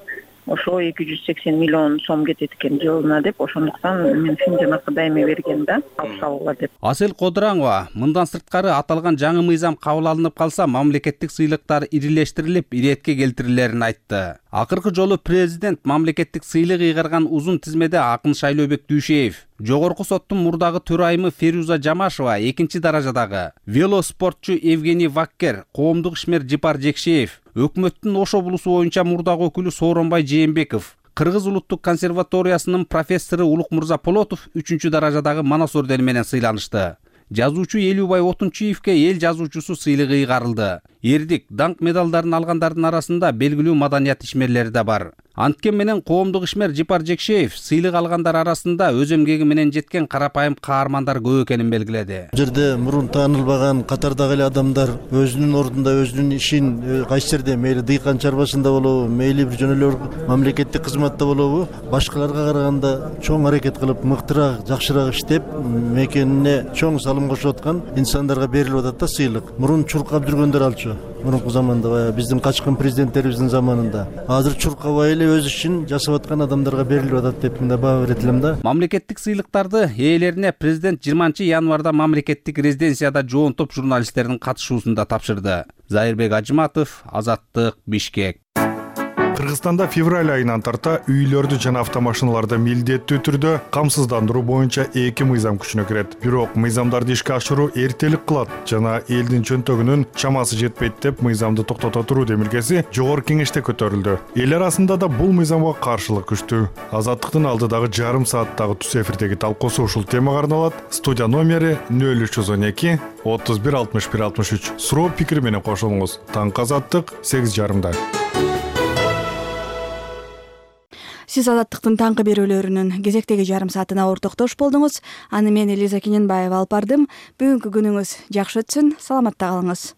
Ошо эки жүз сексен миллион сом кетет экен жылына деп, ошондуктан мен жанакы дайыма берген да, алып салгыла деп. Асел Кодыраңова мындан сырткары аталган жаңы мыйзам кабыл алынып калса, мамлекеттик сыйлыктар ирилештирилип, иретке келтирилерин айтты. Акыркы жолу президент мамлекеттик сыйлык ыйгарган узун тизмеде Акын Шайлообек Дүйшеев, жогорку соттун мурдагы төрайымы Феруза Жамашева экинчи даражадагы, велоспортчу Евгений Ваккер, коомдук ишмер Жипар Жекшеев, өкмөттүн Ош облусу боюнча мурдагы өкүлү Сооронбай Жээнбеков, Кыргыз улуттук консерваториясынын профессору Улукмурза Полотов үчүнчү даражадагы манас ордени менен сыйланышты. Жазуучу Элүүбай Отунчиевке эл жазуучусу сыйлыгы ыйгарылды. Эрдик, даңк медалдарын алгандардын арасында белгилүү маданият ишмерлери да бар. Анткен менен коомдук ишмер Жипар Жекшеев сыйлык алгандар арасында өз эмгеги менен жеткен карапайым каармандар көп экенин белгиледи. Бул жерде мурун таанылбаган катардагы эле адамдар өзүнүн ордунда өзүнүн ишин кайсы жерде мейли дыйкан чарбасында болобу, мейли бир жөн эле мамлекеттик кызматта болобу, башкаларга караганда чоң аракет кылып, мыктыраак, жакшыраак иштеп, мекенине чоң салым кошуп аткан инсандарга берилип атат да сыйлык. Мурун чуркап жүргөндөр алчу. мурунку заманда баягы биздин качкын президенттерибиздин заманында. Азыр чуркабай эле өз ишин жасап аткан адамдарга берилип атат деп мындай баа берет элем да. Мамлекеттик сыйлыктарды ээлерине президент жыйырманчы январда мамлекеттик резиденцияда жоон топ журналисттердин катышуусунда тапшырды. Зайырбек Ажыматов, Азаттык, Бишкек. Кыргызстанда февраль айынан тарта үйлөрдү жана автомашиналарды милдеттүү түрдө камсыздандыруу боюнча эки мыйзам күчүнө кирет. Бирок мыйзамдарды ишке ашыруу эртелик кылат жана элдин чөнтөгүнүн чамасы жетпейт деп мыйзамды токтото туруу демилгеси жогорку кеңеште көтөрүлдү. Эл арасында да бул мыйзамга каршылык күчтүү. Азаттыктын алдыдагы жарым сааттагы түз эфирдеги талкуусу ушул темага арналат. Студия номери нөл үч жүз он эки отуз бир алтымыш бир алтымыш үч. Суроо пикир менен кошулуңуз. Таңкы Азаттык сегиз жарымда. Сиз Азаттыктын таңкы берүүлөрүнүн кезектеги жарым саатына ортоктош болдуңуз. Аны мен Элиза Кененбаева алып бардым. Бүгүнкү күнүңүз жакшы өтсүн. Саламатта калыңыз.